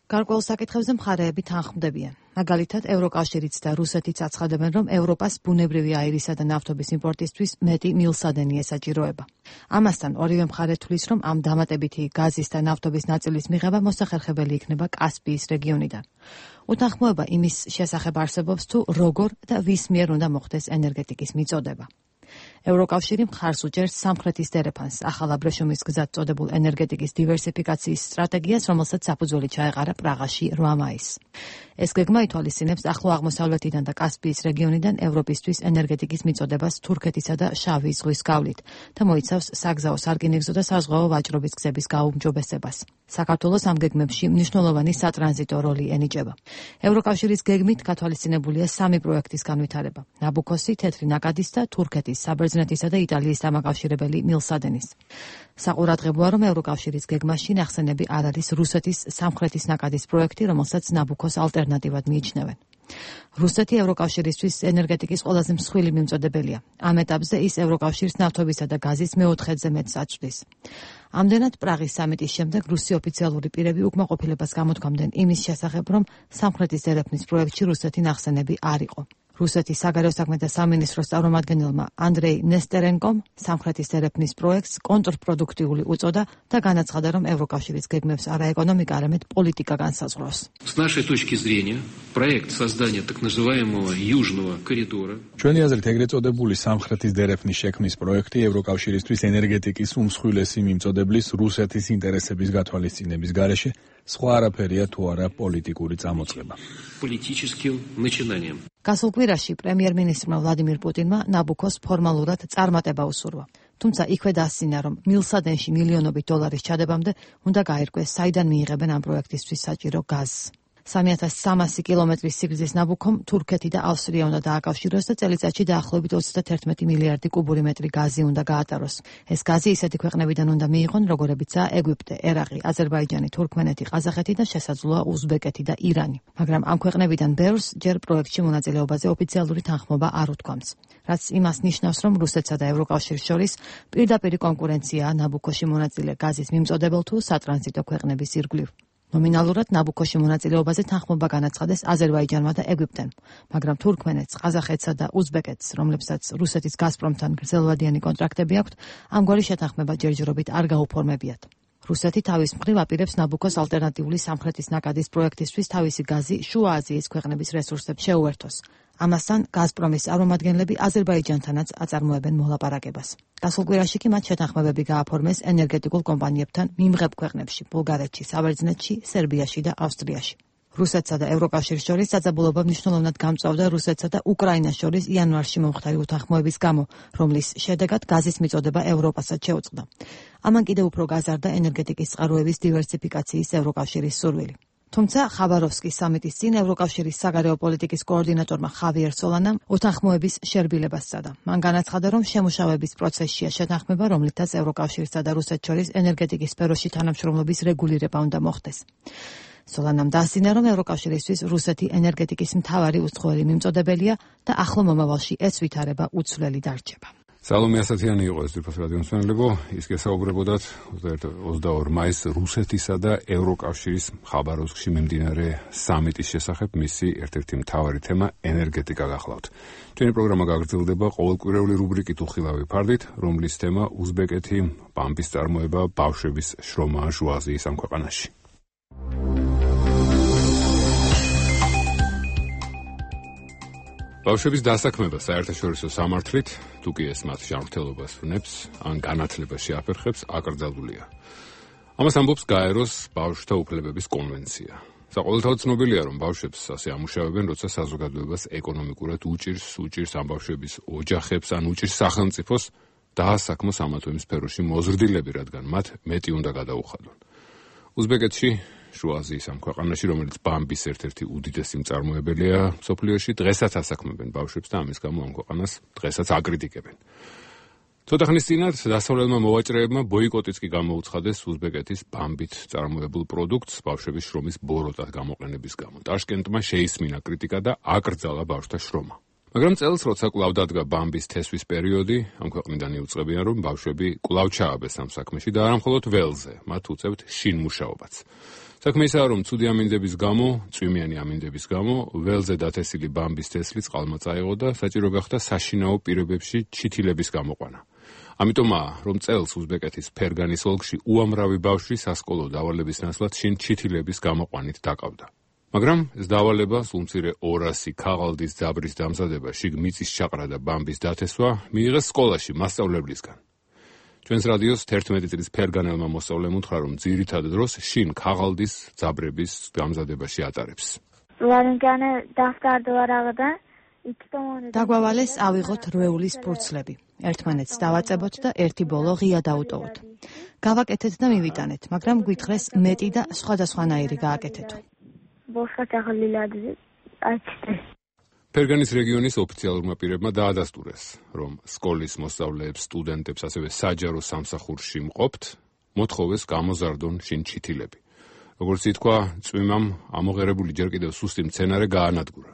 N: გარკვეულ საკითხებზე მხარეები თანხმდებიან. მაგალითად, ევროკავშირიც და რუსეთიც აცხადებენ, რომ ევროპას ბუნებრივი აირისა და ნავთობის იმპორტისთვის მეტი მილსადენი ესაჭიროება. ამასთან ორივე მხარე თვლის, რომ ამ დამატებითი გაზის და ნავთობის ნაწილის მიღება მოსახერხებელი იქნება კასპიის რეგიონიდან. უთანხმოება იმის შესახებ არსებობს, თუ როგორ და ვის მიერ უნდა მოხდეს ენერგეტიკის მიწოდება. ევროკავშირი მხარს უჭერს სამხრეთის დერეფანს, ახალ აბრეშუმის გზად წოდებულ ენერგეტიკის დივერსიფიკაციის სტრატეგიას, რომელსაც საფუძველი ჩაეყარა პრაღაში 8 მაისს. ეს გეგმა ითვალისწინებს ახლო აღმოსავლეთიდან და კასპიის რეგიონიდან ევროპისთვის ენერგეტიკის მიწოდებას თურქეთისა და შავი ზღვის გავლით და მოიცავს საგზაო სარკინიგზო და საზღვაო ვაჭრობის გზების გაუმჯობესებას. საქართველოს ამ გეგმებში მნიშვნელოვანი სატრანზიტო როლი ენიჭება. ევროკავშირის გეგმით გათვალისწინებულია 3 პროექტის განვითარება: ნაბუქოსი, თეთრი ნაკადის და თურქეთის, საბერძნეთისა და იტალიის დამაკავშირებელი მილსადენის. საყურადღებოა, რომ ევროკავშირის გეგმაში ნახსენები არ არის რუსეთის სამხრეთის ნაკადის პროექტი, რომელსაც ნაბუქოს ალტერნატივად მიიჩნევენ. რუსეთი ევროკავშირისთვის ენერგეტიკის ყველაზე მსხვილი მიმწოდებელია. ამ ეტაპზე ის ევროკავშირის ნავთობისა და გაზის მე-4-ზე მეტს აწვდის. ამდენად პრაღის სამიტის შემდეგ რუსი ოფიციალური პირები უკმაყოფილებას გამოთქვამდნენ იმის შესახებ, რომ სამხრეთის დერეფნის პროექტში რუსეთი ნახსენები არ იყო. რუსეთის საგარეო საქმეთა სამინისტროს წარმომადგენელმა ანდრეი ნესტერენკომ სამხრეთის დერეფნის პროექტს კონტრპროდუქტიული უწოდა და განაცხადა, რომ ევროკავშირის გეგმებს არა ეკონომიკა, არამედ პოლიტიკა განსაზღვრავს.
F: С нашей точки зрения, проект создания так называемого южного коридора.
G: ჩვენი აზრით, ეგრეთ წოდებული სამხრეთის დერეფნის შექმნის პროექტი ევროკავშირისთვის ენერგეტიკის უმსხვილესი მიმწოდებლის რუსეთის ინტერესების გათვალისწინების გარეშე სხვა არაფერია თუ არა პოლიტიკური წამოწყება.
F: Политическим начинанием.
N: გასულ კვირაში პრემიერ-მინისტრმა ვლადიმირ პუტინმა ნაბუქოს ფორმალურად წარმატება უსურვა. თუმცა იქვე დასცინა, რომ მილსადენში მილიონობით დოლარის ჩადებამდე უნდა გაირკვეს, საიდან მიიღებენ ამ პროექტისთვის საჭირო გაზს. 3300 კილომეტრის სიგრძის ნაბუქომ თურქეთი და ავსტრია უნდა დააკავშიროს და წელიწადში დაახლოებით 31 მილიარდი კუბური მეტრი გაზი უნდა გაატაროს. ეს გაზი ისეთი ქვეყნებიდან უნდა მიიღონ, როგორებიცაა ეგვიპტე, ერაყი, აზერბაიჯანი, თურქმენეთი, ყაზახეთი და შესაძლოა უზბეკეთი და ირანი. მაგრამ ამ ქვეყნებიდან ბევრს ჯერ პროექტში მონაწილეობაზე ოფიციალური თანხმობა არ უთქვამს. რაც იმას ნიშნავს, რომ რუსეთსა და ევროკავშირის შორის პირდაპირი კონკურენციაა ნაბუქოში მონაწილე გაზის მიმწოდებელ თუ სატრანზიტო ქვეყნების ირგვლივ. ნომინალურად ნაბუქოში მონაწილეობაზე თანხმობა განაცხადეს აზერბაიჯანმა და ეგვიპტემ, მაგრამ თურქმენეთს, ყაზახეთსა და უზბეკეთს, რომლებსაც რუსეთის გაზპრომთან გრძელვადიანი კონტრაქტები აქვთ, ამგვარი შეთანხმება ჯერჯერობით არ გაუფორმებიათ. რუსეთი თავის მხრივ აპირებს ნაბუქოს ალტერნატიული სამხრეთის ნაკადის პროექტისთვის თავისი გაზი შუა აზიის ქვეყნების რესურსებს შეუერთოს. ამასთან გაზპრომის წარმომადგენლები აზერბაიჯანთანაც აწარმოებენ მოლაპარაკებას. გასულ კვირაში კი მათ შეთანხმებები გააფორმეს ენერგეტიკულ კომპანიებთან მიმღებ ქვეყნებში: ბულგარეთში, საბერძნეთში, სერბიაში და ავსტრიაში. რუსეთსა და ევროკავშირის შორის საძაბულობა მნიშვნელოვნად გამწვავდა რუსეთსა და უკრაინას შორის იანვარში მომხდარი უთანხმოების გამო, რომლის შედეგად გაზის მიწოდება ევროპასაც შეუწყდა. ამან კიდევ უფრო გაზარდა ენერგეტიკის წყაროების დივერსიფიკაციის ევროკავშირის სურვილი. თუმცა ხაბაროვსკის სამიტის წინ ევროკავშირის საგარეო პოლიტიკის კოორდინატორმა ხავიერ სოლანამ უთანხმოების შერბილებას სცადა. მან განაცხადა, რომ შემუშავების პროცესშია შეთანხმება, რომლითაც ევროკავშირსა და რუსეთს შორის ენერგეტიკის სფეროში თანამშრომლობის რეგულირება უნდა მოხდეს. სოლანამ დასძინა, რომ ევროკავშირისთვის რუსეთი ენერგეტიკის მთავარი უცხოელი მიმწოდებელია და ახლო მომავალში ეს ვითარება უცვლელი დარჩება.
A: სალომე ასათიანი იყო ეს ძირფას რადიომსმენელებო, ის გესაუბრებოდათ 22 მაისს რუსეთისა და ევროკავშირის ხაბაროვსკში მიმდინარე სამიტის შესახებ. მისი ერთ-ერთი მთავარი თემა ენერგეტიკა გახლავთ. ჩვენი პროგრამა გაგრძელდება ყოველკვირეული რუბრიკით უხილავი ფარდით, რომლის თემა უზბეკეთი, პამპის წარმოება, ბავშვების შრომაა შუა აზიის ამ ქვეყანაში. ბავშვების დასაქმება საერთაშორისო სამართლით, თუ კი ეს მათ ჯანმრთელობას ვნებს, ან განათლებას შეაფერხებს, აკრძალულია. ამას ამბობს გაეროს ბავშვთა უფლებების კონვენცია. საყოველთაოდ ცნობილია, რომ ბავშვებს ასე ამუშავებენ, როცა საზოგადოებას ეკონომიკურად უჭირს ამ ბავშვების ოჯახებს, ან უჭირს სახელმწიფოს დაასაქმოს ამა თუ იმ სფეროში მოზრდილები, რადგან მათ მეტი უნდა გადაუხადონ. უზბეკეთში, შუა აზიის ამ ქვეყანაში, რომელიც ბამბის ერთ-ერთი უდიდესი მწარმოებელია მსოფლიოში, დღესაც ასაქმებენ ბავშვებს და ამის გამო ამ ქვეყანას დღესაც აკრიტიკებენ. ცოტა ხნის წინათ დასავლელმა მოვაჭრეებმა ბოიკოტიც კი გამოუცხადეს უზბეკეთის ბამბით წარმოებულ პროდუქტს ბავშვების შრომის ბოროტად გამოყენების გამო. ტაშკენტმა შეისმინა კრიტიკა და აკრძალა ბავშვთა შრომა. მაგრამ წელს, როცა კვლავ დადგა ბამბის თესვის პერიოდი, ამ ქვეყნიდან იუწყებიან, რომ ბავშვები კვლავ ჩააბეს ამ საქმეში და არა მხოლოდ ველზე, მათ უწევთ შინ მუშაობაც. საქმე ისაა, რომ ცუდი ამინდების გამო, წვიმიანი ამინდების გამო, ველზე დათესილი ბამბის თესლი წყალმა წაიღო და საჭირო გახდა საშინაო პირობებში ჩითილების გამოყვანა. ამიტომაა, რომ წელს უზბეკეთის ფერგანის ოლქში უამრავი ბავშვი სასკოლო დავალების ნაცვლად შინ ჩითილების გამოყვანით დაკავდა. მაგრამ ეს დავალება, სულ მცირე 200 ქაღალდის ძაბრის დამზადება, შიგ მიწის ჩაყრა და ბამბის დათესვა მიიღეს სკოლაში მასწავლებლისგან. ჩვენს რადიოს 11 წლის ფერგანელმა მოსწავლემ უთხრა, რომ ძირითად დროს შინ ქაღალდის ძაბრების დამზადებაში ატარებს.
D: დაგვავალეს ავიღოთ რვეულის ფურცლები. ერთმანეთს დავაწებოთ და ერთი ბოლო ღია დაუტოვოთ. გავაკეთეთ და მივიტანეთ, მაგრამ გვითხრეს მეტი და სხვადასხვანაირი გააკეთეთ.
A: ფერგანის რეგიონის ოფიციალურმა პირებმა დაადასტურეს, რომ სკოლის მოსწავლეებს, სტუდენტებს, ასევე საჯარო სამსახურში მყოფთ, მოთხოვეს გამოზარდონ შინ ჩითილები. როგორც ითქვა, წვიმამ ამოღერებული ჯერ კიდევ სუსტი მცენარე გაანადგურა.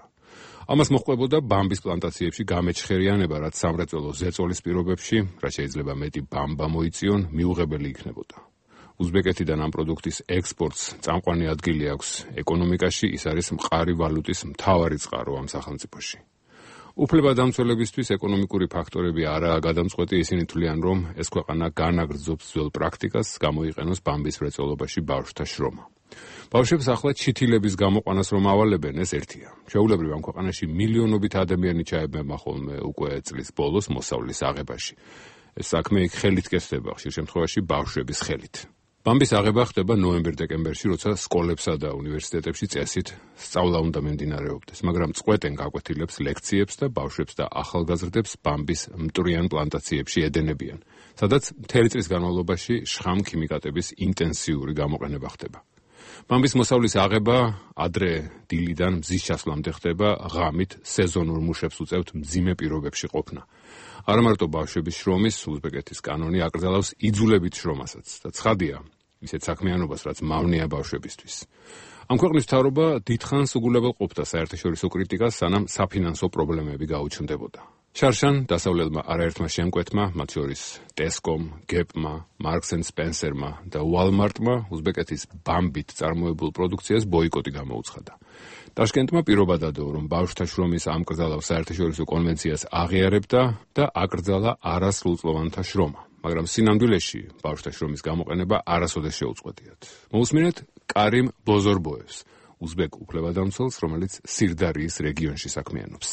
A: ამას მოჰყვებოდა ბამბის პლანტაციებში გამეჩხერიანება, რაც სამრეწველო ზეწოლის პირობებში, რაც შეიძლება მეტი ბამბა მოიწიონ, მიუღებელი იქნებოდა. უზბეკეთიდან ამ პროდუქტის ექსპორტს წამყვანი ადგილი აქვს ეკონომიკაში, ის არის მყარი ვალუტის მთავარი წყარო ამ სახელმწიფოში. უფლებადამცველებისთვის ეკონომიკური ფაქტორები არაა გადამწყვეტი, ისინი თვლიან, რომ ეს ქვეყანა განაგრძობს ძველ პრაქტიკას, გამოიყენოს ბამბის მრეწველობაში ბავშვთა შრომა. ბავშვებს ახლა ჩითილების გამოყვანას რომ ავალებენ, ეს ერთია. შეუულებრივ ამ ქვეყანაში მილიონობით ადამიანი ჩაებება ხოლმე უკვე წლის ბოლოს მოსავლის აღებაში. ეს საქმე იქ ხელით კეთდება, ხშირ შემთხვევაში ბავშვების ხელით. ბამბის აღება ხდება ნოემბერ-დეკემბერში, როცა სკოლებსა და უნივერსიტეტებში წესით სწავლა უნდა მიმდინარეობდეს, მაგრამ წყვეტენ გაკვეთილებს, ლექციებს და ბავშვებს და ახალგაზრდებს ბამბის მტვრიან პლანტაციებში ედენებიან, სადაც მთელი წლის განმავლობაში შხამ ქიმიკატების ინტენსიური გამოყენება ხდება. ბამბის მოსავლის აღება ადრე დილიდან მზის ჩასვლამდე ხდება, ღამით სეზონურ მუშებს უწევთ მძიმე პირობებში ყოფნა. არა მარტო ბავშვების შრომის, უზბეკეთის კანონი აკრძალავს იძულებით შრომასაც და ცხადია, ისეთ საქმიანობას, რაც მავნეა ბავშვებისთვის. ამ ქვეყნის მთავრობა დიდხანს უგულებელყოფდა საერთაშორისო კრიტიკას, სანამ საფინანსო პრობლემები გაუჩნდებოდა. შარშან დასავლელმა არაერთმა შემკვეთმა, მათ შორის ტესკომ, გეპმა, მარკს ენ სპენსერმა და უალმარტმა უზბეკეთის ბამბით წარმოებულ პროდუქციას ბოიკოტი გამოუცხადა. ტაშკენტმა პირობა დადო, რომ ბავშვთა შრომის ამკრძალავ საერთაშორისო კონვენციას აღიარებდა და აკრძალა არასრულწლოვანთა შრომა. მაგრამ სინამდვილეში ბავშვთა შრომის გამოყენება არასოდეს შეუწყვეტიათ. მოусმინეთ კარიმ ბოზორბოევს, უზბეკ უფლებადამცველს, რომელიც სირდარიის რეგიონში საქმიანობს.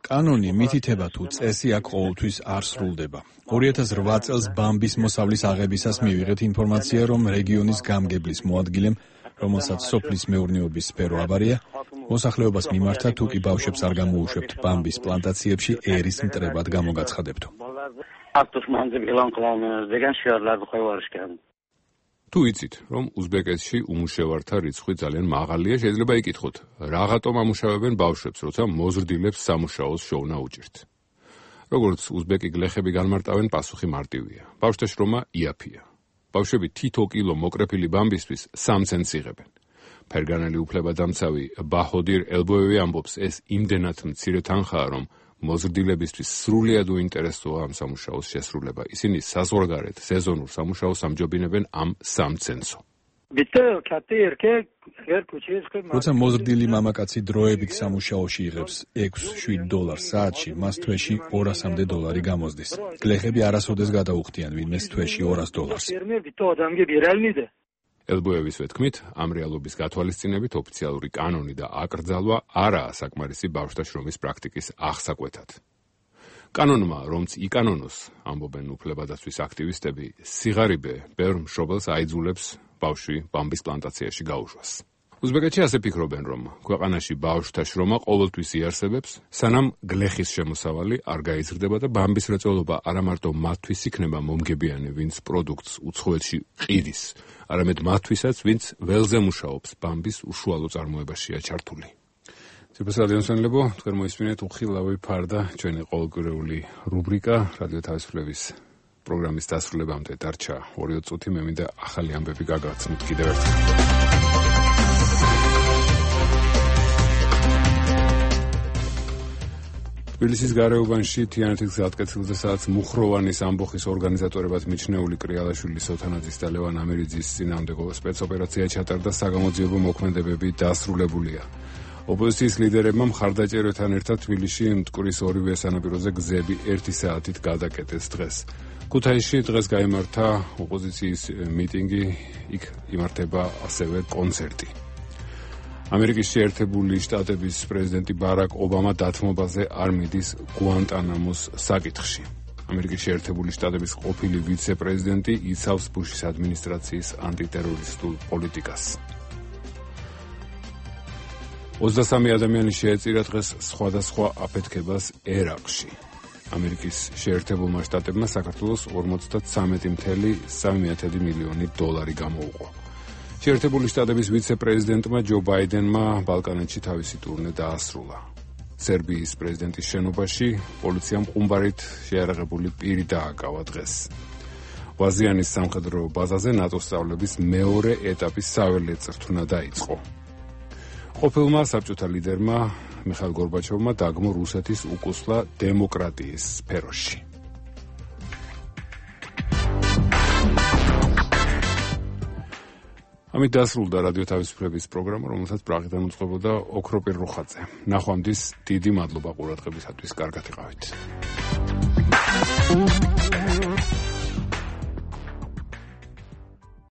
G: კანონი მითითება თუ წესი აქ ყოველთვის არ სრულდება. 2008 წელს ბამბის მოსავლის აღებისას მივიღეთ ინფორმაცია, რომ რეგიონის გამგებლის მოადგილემ, რომელსაც სოფლის მეურნეობის სფერო აბარია, მოსახლეობას მიმართა, თუ კი ბავშვებს არ გამოუშვებთ ბამბის პლანტაციებში ერის მტრებად გამოგაცხადებთო.
A: თუ იცით, რომ უზბეკეთში უმუშევართა რიცხვი ძალიან მაღალია, შეიძლება იკითხოთ, რაღაცომ ამუშავებენ ბავშვებს, როცა მოზრდილებს სამუშაოს შოვნა უჭირთ. როგორც უზბეკი გლეხები განმარტავენ, პასუხი მარტივია. ბავშვთა შრომა იაფია. ბავშვები თითო კილო მოკრეფილი ბამბისთვის 3 ცენტს იღებენ. ფერგანელი უფლებადამცავი ბაჰოდირ ელბოევი ამბობს, ეს იმდენად მცირე თანხაა, რომ მოზრდილებისთვის სრულიად უინტერესოა ამ სამუშაოს შესრულება. ისინი საზღვარგარეთ სეზონურ სამუშაოს ამჯობინებენ ამ 3 ცენტსო.
G: როცა მოზრდილი მამაკაცი დროებით სამუშაოში იღებს $6-7 საათში, მას თვეში $200-მდე გამოსდის. გლეხები არასოდეს გადაუხდიან ვინმეს თვეში $200.
A: ელბოევის ვეთქმით, ამ რეალობის გათვალისწინებით ოფიციალური კანონი და აკრძალვა არაა საკმარისი ბავშვთა შრომის პრაქტიკის აღსაკვეთად. კანონმა, რომც იკანონოს, ამბობენ უფლებადაცვის აქტივისტები, სიღარიბე ბევრ მშობელს აიძულებს ბავშვი ბამბის პლანტაციაში გაუშვას. უზბეკეთში ასე ფიქრობენ, რომ ქვეყანაში ბავშვთა შრომა ყოველთვის იარსებებს, სანამ გლეხის შემოსავალი არ გაიზრდება და ბამბის მრეწველობა არა მარტო მათთვის იქნება მომგებიანი, ვინც პროდუქტს უცხოეთში ყიდის, არამედ მათთვისაც, ვინც ველზე მუშაობს, ბამბის უშუალო წარმოებაშია ჩართული. ძირფას რადიომსმენელებო, თქვენ მოისმინეთ უხილავი ფარდა, ჩვენი ყოველკვირეული რუბრიკა რადიო თავისუფლების პროგრამის დასრულებამდე დარჩა 2 წუთი, მე მინდა ახალი ამბები გაგაცნოთ კიდევ ერთხელ. თბილისის გარეუბანში თიანეთის გზატკეცილზე სადაც მუხროვანის ამბოხის ორგანიზატორებად მიჩნეული კრიალაშვილის ოთანაძის და ლევან ამირიძის წინააღმდეგო სპეცოპერაცია ჩატარდა, საგამოძიებო მოქმედებები დასრულებულია. ოპოზიციის ლიდერებმა მხარდაჭერებთან ერთად თბილისში მტკვრის ორივე სანაპიროზე გზები 1 საათით გადაკეტეს დღეს. ქუთაისში დღეს გაიმართა ოპოზიციის მიტინგი, იქ იმართება ასევე კონცერტი. ამერიკის შეერთებული შტატების პრეზიდენტი ბარაკ ობამა დათმობაზე არ მიდის გუანტანამოს საკითხში. ამერიკის შეერთებული შტატების ყოფილი ვიცე-პრეზიდენტი იცავს ბუშის ადმინისტრაციის ანტიტერორისტულ პოლიტიკას. 23 ადამიანი შეეწირა დღეს სხვადასხვა აფეთქებას ერაყში. ამერიკის შეერთებულმა შტატებმა საქართველოს 53.3 მილიონი დოლარი გამოუყო. შეერთებული შტატების ვიცე-პრეზიდენტმა ჯო ბაიდენმა ბალკანეთში თავისი ტურნე დაასრულა. სერბიის პრეზიდენტის შენობაში პოლიციამ ყუმბარით შეარაღებული პირი დააკავა დღეს. ვაზიანის სამხედრო ბაზაზე ნატოს სწავლების მეორე ეტაპის საველე წრთუნა დაიწყო. ყოფილმა საბჭოთა ლიდერმა მიხაილ გორბაჩოვმა დაგმო რუსეთის უკუსლა დემოკრატიის სფეროში. ამით დასრულდა რადიო თავისუფლების პროგრამა, რომელსაც პრაღიდან უწყებოდა ოქროპირ რუხაძე. ნახვამდის დიდი მადლობა ყურადღებისათვის. კარგად იყავით.